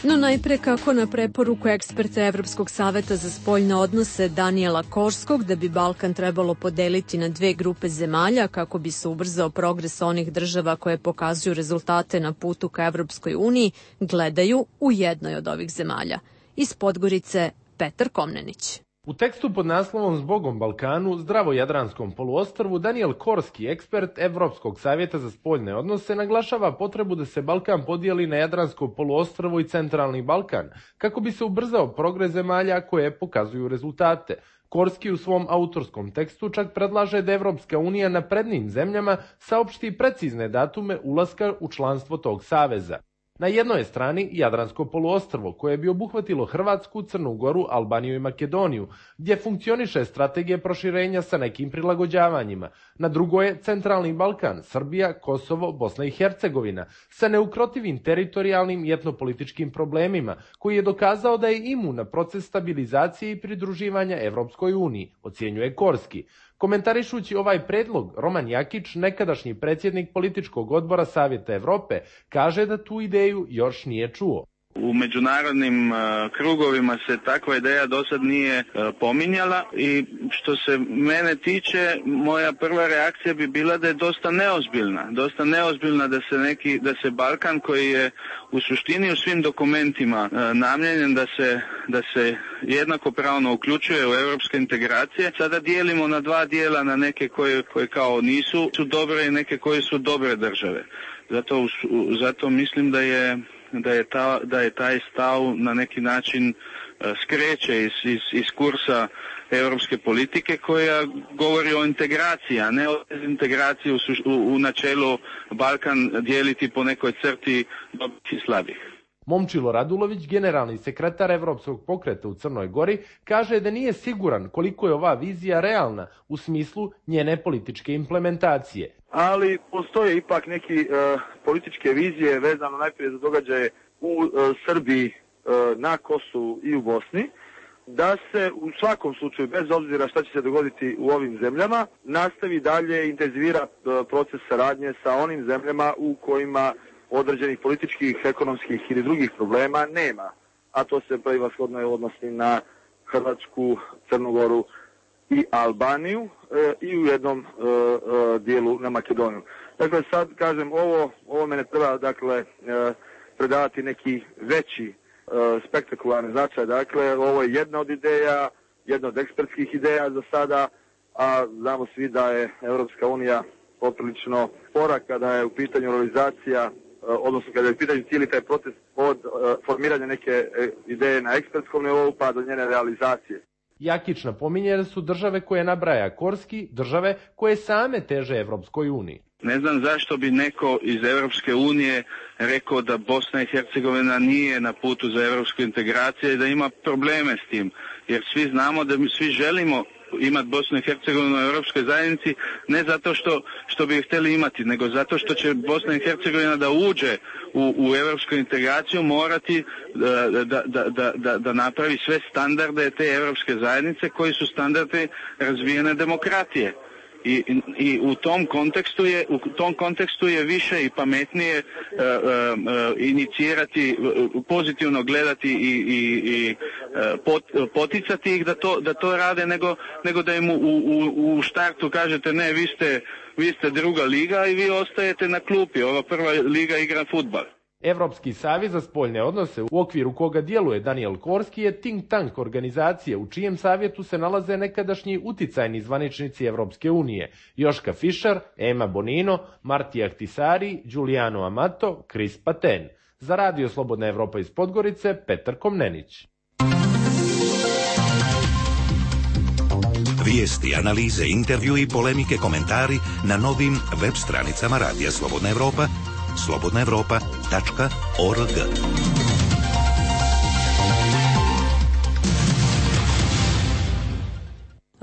No najpre kako na preporuku eksperta Evropskog saveta za spoljne odnose Danijela Korskog da bi Balkan trebalo podeliti na dve grupe zemalja kako bi se ubrzao progres onih država koje pokazuju rezultate na putu ka Evropskoj uniji, gledaju u jednoj od ovih zemalja. Iz Podgorice Petar Komnenić. U tekstu pod naslovom Zbogom Balkanu, zdravo Jadranskom poluostrvu, Danijel Korski, ekspert Evropskog savjeta za spoljne odnose, naglašava potrebu da se Balkan podijeli na Jadransko poluostrvo i Centralni Balkan, kako bi se ubrzao progres zemalja koje pokazuju rezultate. Korski u svom autorskom tekstu čak predlaže da Evropska unija naprednim zemljama saopšti precizne datume ulaska u članstvo tog saveza. Na jednoj je strani Jadransko poluostrvo, koje bi obuhvatilo Hrvatsku, Crnu Goru, Albaniju i Makedoniju, gdje funkcioniše strategija proširenja sa nekim prilagođavanjima. Na drugoj je Centralni Balkan, Srbija, Kosovo, Bosna i Hercegovina, sa neukrotivim teritorijalnim i etnopolitičkim problemima, koji je dokazao da je imun na proces stabilizacije i pridruživanja Evropskoj uniji, ocjenjuje Korski. Komentarišući ovaj predlog, Roman Jakić, nekadašnji predsjednik političkog odbora Savjeta Evrope, kaže da tu ideju još nije čuo. U međunarodnim uh, krugovima se takva ideja do sad nije uh, pominjala i što se mene tiče, moja prva reakcija bi bila da je dosta neozbiljna. Dosta neozbiljna da se neki, da se Balkan koji je u suštini u svim dokumentima uh, namijenjen da se, da se jednakopravno uključuje u europske integracije, sada dijelimo na dva dijela, na neke koje, koje kao nisu su dobre i neke koje su dobre države. Zato, zato mislim da je Da je, ta, da je taj stav na neki način uh, skreće iz, iz, iz kursa europske politike koja govori o integraciji, a ne o integraciji u, u, u načelu Balkan dijeliti po nekoj crti dobrih i slabih. Momčilo Radulović, generalni sekretar Evropskog pokreta u Crnoj Gori, kaže da nije siguran koliko je ova vizija realna u smislu njene političke implementacije. Ali postoje ipak neki uh, političke vizije vezano najprije za događaje u uh, Srbiji, uh, na Kosovu i u Bosni, da se u svakom slučaju, bez obzira šta će se dogoditi u ovim zemljama, nastavi dalje intenzivira uh, proces saradnje sa onim zemljama u kojima određenih političkih, ekonomskih ili drugih problema nema. A to se prevashodno odnosi na Hrvatsku, Crnu Goru i Albaniju e, i u jednom e, e, dijelu na Makedoniju. Dakle, sad kažem, ovo, ovo mene treba dakle, e, predavati neki veći e, spektakularni značaj. Dakle, ovo je jedna od ideja, jedna od ekspertskih ideja za sada, a znamo svi da je Europska unija poprilično spora kada je u pitanju realizacija, odnosno kada je u pitanju cijeli taj proces od uh, formiranja neke uh, ideje na ekspertskom nivou pa do njene realizacije. Jakić napominje da su države koje nabraja Korski države koje same teže Evropskoj uniji. Ne znam zašto bi neko iz Evropske unije rekao da Bosna i Hercegovina nije na putu za evropsku integraciju i da ima probleme s tim. Jer svi znamo da mi svi želimo imati Bosnu i Hercegovinu u Europskoj zajednici, ne zato što, što bi htjeli imati, nego zato što će Bosna i Hercegovina da uđe u, u europsku integraciju morati da, da, da, da, da napravi sve standarde te europske zajednice koji su standardi razvijene demokratije. I, i u tom kontekstu je u tom kontekstu je više i pametnije uh, uh, inicirati, pozitivno gledati i, i, i pot, poticati ih da to, da to rade nego, nego da im u, u, u štartu kažete ne, vi ste, vi ste druga liga i vi ostajete na klupi, ova prva liga igra fudbal. Evropski savez za spoljne odnose, u okviru koga djeluje Daniel Korski, je think tank organizacije u čijem savjetu se nalaze nekadašnji uticajni zvaničnici Evropske unije, Joška Fischer, Ema Bonino, Marti Ahtisari, Giuliano Amato, Chris Paten. Za Radio Slobodna Evropa iz Podgorice, Petar Komnenić. Vijesti, analize, intervju i polemike, komentari na novim web stranicama Radija Slobodna Evropa, slobodna evropa tačka org.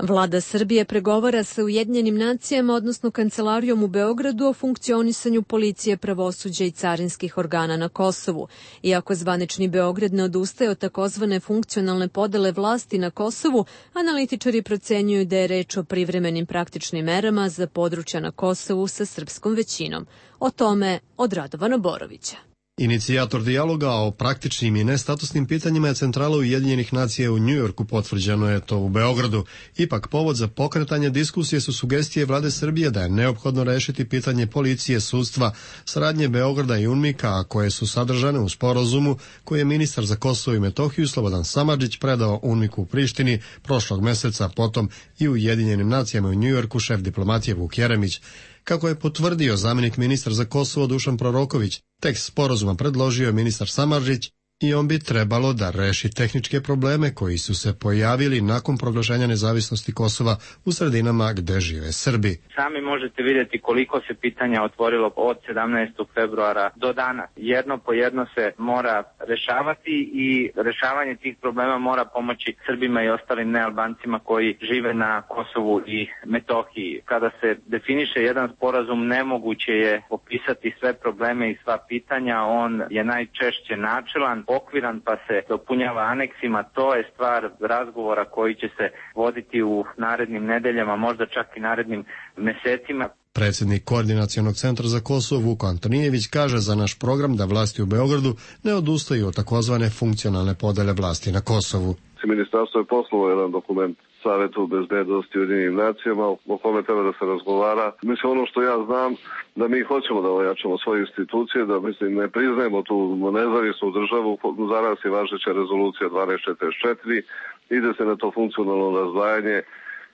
Vlada Srbije pregovara sa Ujedinjenim nacijama, odnosno Kancelarijom u Beogradu, o funkcionisanju policije, pravosuđa i carinskih organa na Kosovu. Iako zvanični Beograd ne odustaje od takozvane funkcionalne podele vlasti na Kosovu, analitičari procenjuju da je reč o privremenim praktičnim merama za područja na Kosovu sa srpskom većinom. O tome od Radovana Borovića. Inicijator dijaloga o praktičnim i nestatusnim pitanjima je Centrala Ujedinjenih nacija u Njujorku, potvrđeno je to u Beogradu. Ipak povod za pokretanje diskusije su sugestije vlade Srbije da je neophodno rešiti pitanje policije, sudstva, saradnje Beograda i UNMIK-a, a koje su sadržane u sporazumu koji je ministar za Kosovo i Metohiju Slobodan Samardžić predao UNMIK-u u Prištini prošlog meseca, potom i Ujedinjenim nacijama u Njujorku šef diplomatije Vuk Jeremić. Kako je potvrdio zamjenik ministar za Kosovo Dušan Proroković, tekst sporazuma predložio je ministar Samardžić i on bi trebalo da reši tehničke probleme koji su se pojavili nakon proglašenja nezavisnosti Kosova u sredinama gde žive Srbi. Sami možete vidjeti koliko se pitanja otvorilo od sedamnaestog februara do danas. Jedno po jedno se mora rešavati i rešavanje tih problema mora pomoći Srbima i ostalim nealbancima koji žive na Kosovu i Metohiji. Kada se definiše jedan sporazum, nemoguće je opisati sve probleme i sva pitanja. On je najčešće načelan, okviran, pa se dopunjava aneksima. To je stvar razgovora koji će se voditi u narednim nedeljama, možda čak i narednim mesecima. Predsjednik Koordinacionog centra za Kosovo Vuko Antonijević kaže za naš program da vlasti u Beogradu ne odustaju od takozvane funkcionalne podele vlasti na Kosovu. Ministarstvo je poslalo jedan dokument Savetu bezbednosti u Ujedinjenim nacijama o kome treba da se razgovara. Mislim, ono što ja znam, da mi hoćemo da ojačamo svoje institucije, da mislim ne priznajemo tu nezavisnu državu. Za nas je važeća rezolucija dvanaest četrdeset četiri, ide se na to funkcionalno razdvajanje,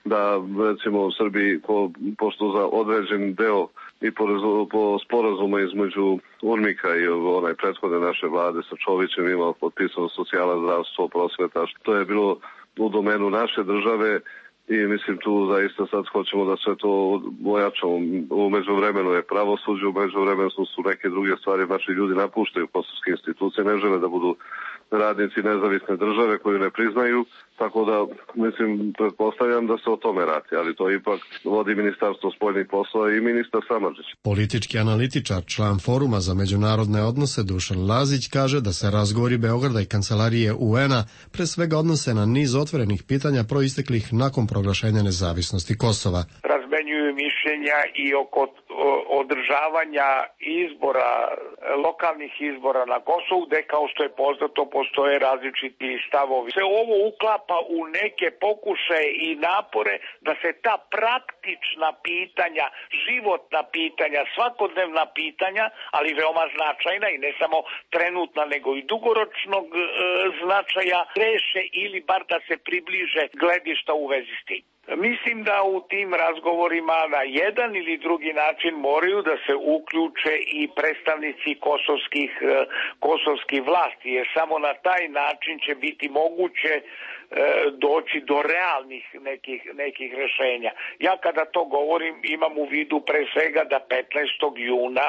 da recimo u Srbiji, ko, pošto za određen deo i po, po sporazumu između UNMIK-a i onaj prethodne naše vlade sa Čovićem imao potpisano socijala, zdravstvo, prosveta, to je bilo u domenu naše države i mislim tu zaista sad hoćemo da sve to ojačamo. U međuvremenu je pravosuđe, u međuvremenu su neke druge stvari, naši ljudi napuštaju kosovske institucije, ne žele da budu radnici nezavisne države koju ne priznaju, tako da mislim, pretpostavljam da se o tome radi, ali to ipak vodi Ministarstvo spoljnih poslova i ministar Samardžić. Politički analitičar, član Foruma za međunarodne odnose Dušan Lazić kaže da se razgovori Beograda i Kancelarije U N-a pre svega odnose na niz otvorenih pitanja proisteklih nakon proglašenja nezavisnosti Kosova. Razmenjuju mišljenja i oko održavanja izbora, lokalnih izbora na Kosovu, gde kao što je poznato postoje različiti stavovi. Se ovo uklapa u neke pokušaje i napore da se ta praktična pitanja, životna pitanja, svakodnevna pitanja, ali veoma značajna i ne samo trenutna nego i dugoročnog e, značaja, reše ili bar da se približe gledišta u vezi s tim. Mislim da u tim razgovorima na jedan ili drugi način moraju da se uključe i predstavnici kosovskih, kosovskih vlasti, jer samo na taj način će biti moguće e, doći do realnih nekih, nekih rešenja. Ja kada to govorim imam u vidu pre svega da petnaestog juna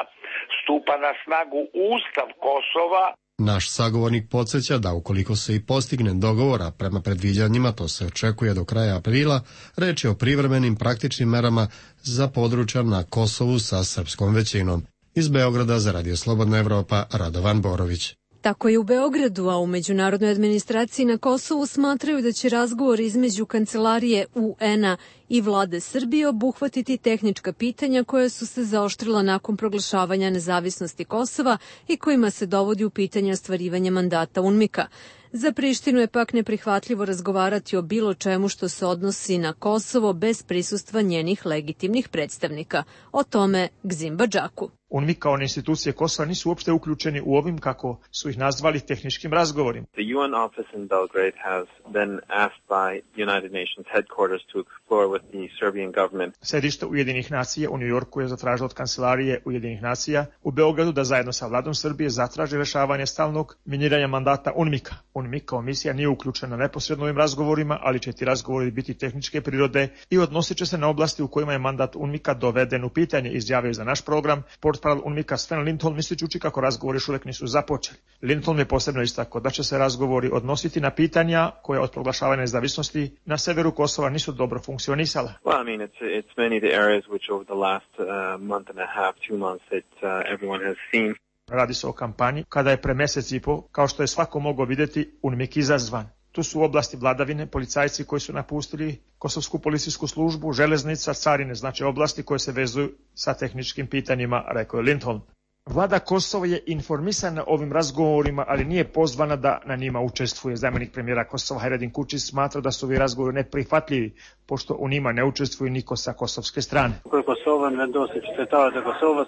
stupa na snagu Ustav Kosova. Naš sagovornik podsjeća da ukoliko se i postigne dogovora prema predviđanjima, to se očekuje do kraja aprila, reč je o privremenim praktičnim merama za područja na Kosovu sa srpskom većinom. Iz Beograda za Radio Slobodna Evropa, Radovan Borović. Tako je u Beogradu, a u međunarodnoj administraciji na Kosovu smatraju da će razgovor između Kancelarije U N-a i vlade Srbije obuhvatiti tehnička pitanja koja su se zaoštrila nakon proglašavanja nezavisnosti Kosova i kojima se dovodi u pitanje ostvarivanje mandata UNMIK-a. Za Prištinu je pak neprihvatljivo razgovarati o bilo čemu što se odnosi na Kosovo bez prisustva njenih legitimnih predstavnika. O tome Gzim Badžaku. UNMIK kao institucije Kosova nisu uopšte uključeni u ovim, kako su ih nazvali, tehničkim razgovorima. The U N office in Belgrade has been asked by United Nations headquarters to explore with the Serbian government. Sedište Ujedinjenih nacija u New Yorku je zatražilo od Kancelarije Ujedinjenih nacija u Beogradu da zajedno sa vladom Srbije zatraži rešavanje stalnog miniranja mandata UNMIK-a. UNMIK kao misija nije uključena neposredno ovim razgovorima, ali će ti razgovori biti tehničke prirode i odnosit će se na oblasti u kojima je mandat UNMIK-a doveden u pitanje, izjavio za naš program portparol UNMIK-a Sven Lindholm, mislijući kako razgovori još uvek nisu započeli. Lindholm je posebno istakao da će se razgovori odnositi na pitanja koje od proglašavanja nezavisnosti na severu Kosova nisu dobro funkcionisala. Well, I mean, it's it's many the areas which over the last uh, month and a half, two months that uh, everyone has seen. Radi se o kampanji kada je pre mesec i po, kao što je svako mogao vidjeti, UNMIK izazvan. Tu su oblasti vladavine, policajci koji su napustili kosovsku policijsku službu, železnica, carine, znači oblasti koje se vezuju sa tehničkim pitanjima, rekao je Lindholm. Vlada Kosova je informisana ovim razgovorima, ali nije pozvana da na njima učestvuje. Zamjenik premijera Kosova Hajredin Kučić smatra da su ovi razgovori neprihvatljivi, pošto u njima ne učestvuje niko sa kosovske strane. Kosova ne doseč qytetarët e Kosovës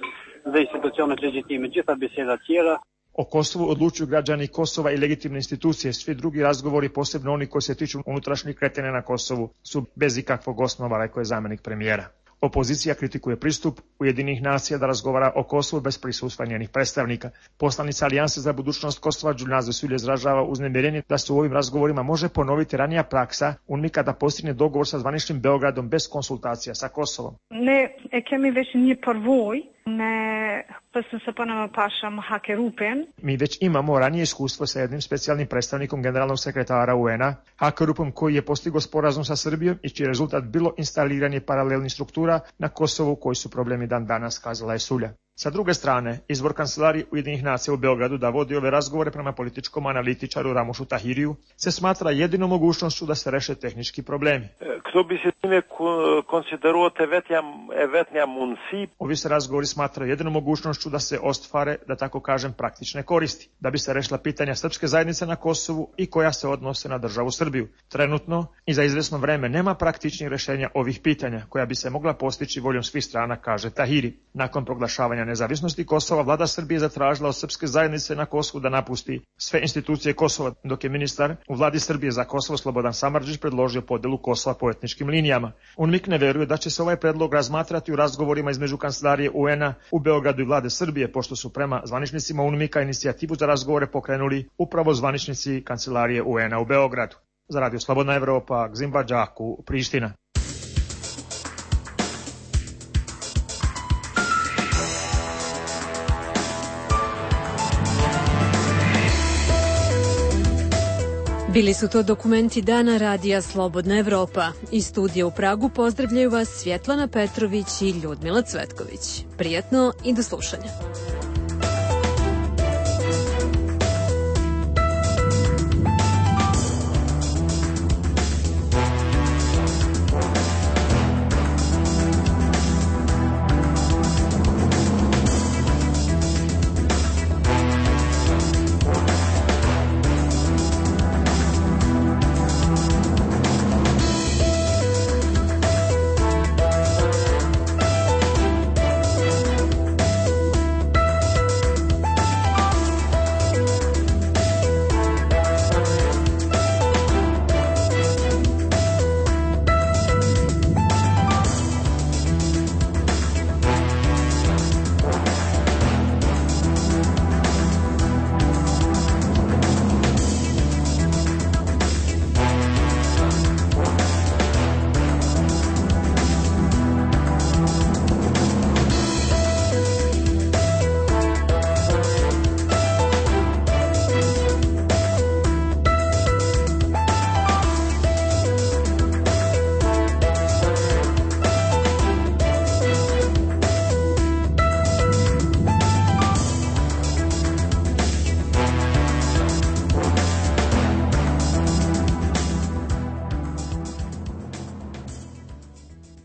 dhe institucionet legjitime, gjitha biseda tjera. O Kosovu odlučuju građani Kosova i legitimne institucije. Svi drugi razgovori, posebno oni koji se tiču unutrašnjih kretanja na Kosovu, su bez ikakvog osnova, rekao je zamjenik premijera. Opozicija kritikuje pristup Ujedinjenih nacija da razgovara o Kosovu bez prisustva njenih predstavnika. Poslanica Alijanse za budućnost Kosova Đulnazo Sulje izražava uznemirenje da se u ovim razgovorima može ponoviti ranija praksa UNMIK-a da postigne dogovor sa zvaničnim Beogradom bez konsultacija sa Kosovom. Ne e kemi već një përvoj me pse se ponema pašam Hakerupen. Mi već imamo ranije iskustvo sa jednim specijalnim predstavnikom generalnog sekretara U N-a, Hakerupom, koji je postigao sporazum sa Srbijom i čiji rezultat bilo instaliranje paralelnih struktura na Kosovu, koji su problemi dan danas, kazala je Sulja. Sa druge strane, izvor Kancelarije Ujedinjenih nacija u Beogradu da vodi ove razgovore prema političkom analitičaru Ramušu Tahiriju se smatra jedinom mogućnošću da se reše tehnički problemi. Kto bi se time konsideruo vetnja munsi? Ovi se razgovori smatraju jedinom mogućnošću da se ostvare, da tako kažem, praktične koristi, da bi se rešila pitanja srpske zajednice na Kosovu i koja se odnose na državu Srbiju. Trenutno i za izvesno vreme nema praktičnih rešenja ovih pitanja koja bi se mogla postići voljom svih strana, kaže Tahiri. Nakon proglašavanja nezavisnosti Kosova, vlada Srbije zatražila od srpske zajednice na Kosovu da napusti sve institucije Kosova, dok je ministar u vladi Srbije za Kosovo Slobodan Samardžić predložio podelu Kosova po etničkim linijama. UNMIK ne veruje da će se ovaj predlog razmatrati u razgovorima između Kancelarije U N-a u Beogradu i vlade Srbije, pošto su prema zvaničnicima UNMIK-a inicijativu za razgovore pokrenuli upravo zvaničnici Kancelarije U N-a u Beogradu. Za Radio Slobodna Evropa, Gzim Badžaku, Priština. Bili su to dokumenti dana Radija Slobodna Evropa. Iz studija u Pragu pozdravljaju vas Svjetlana Petrović i Ljudmila Cvetković. Prijatno i do slušanja.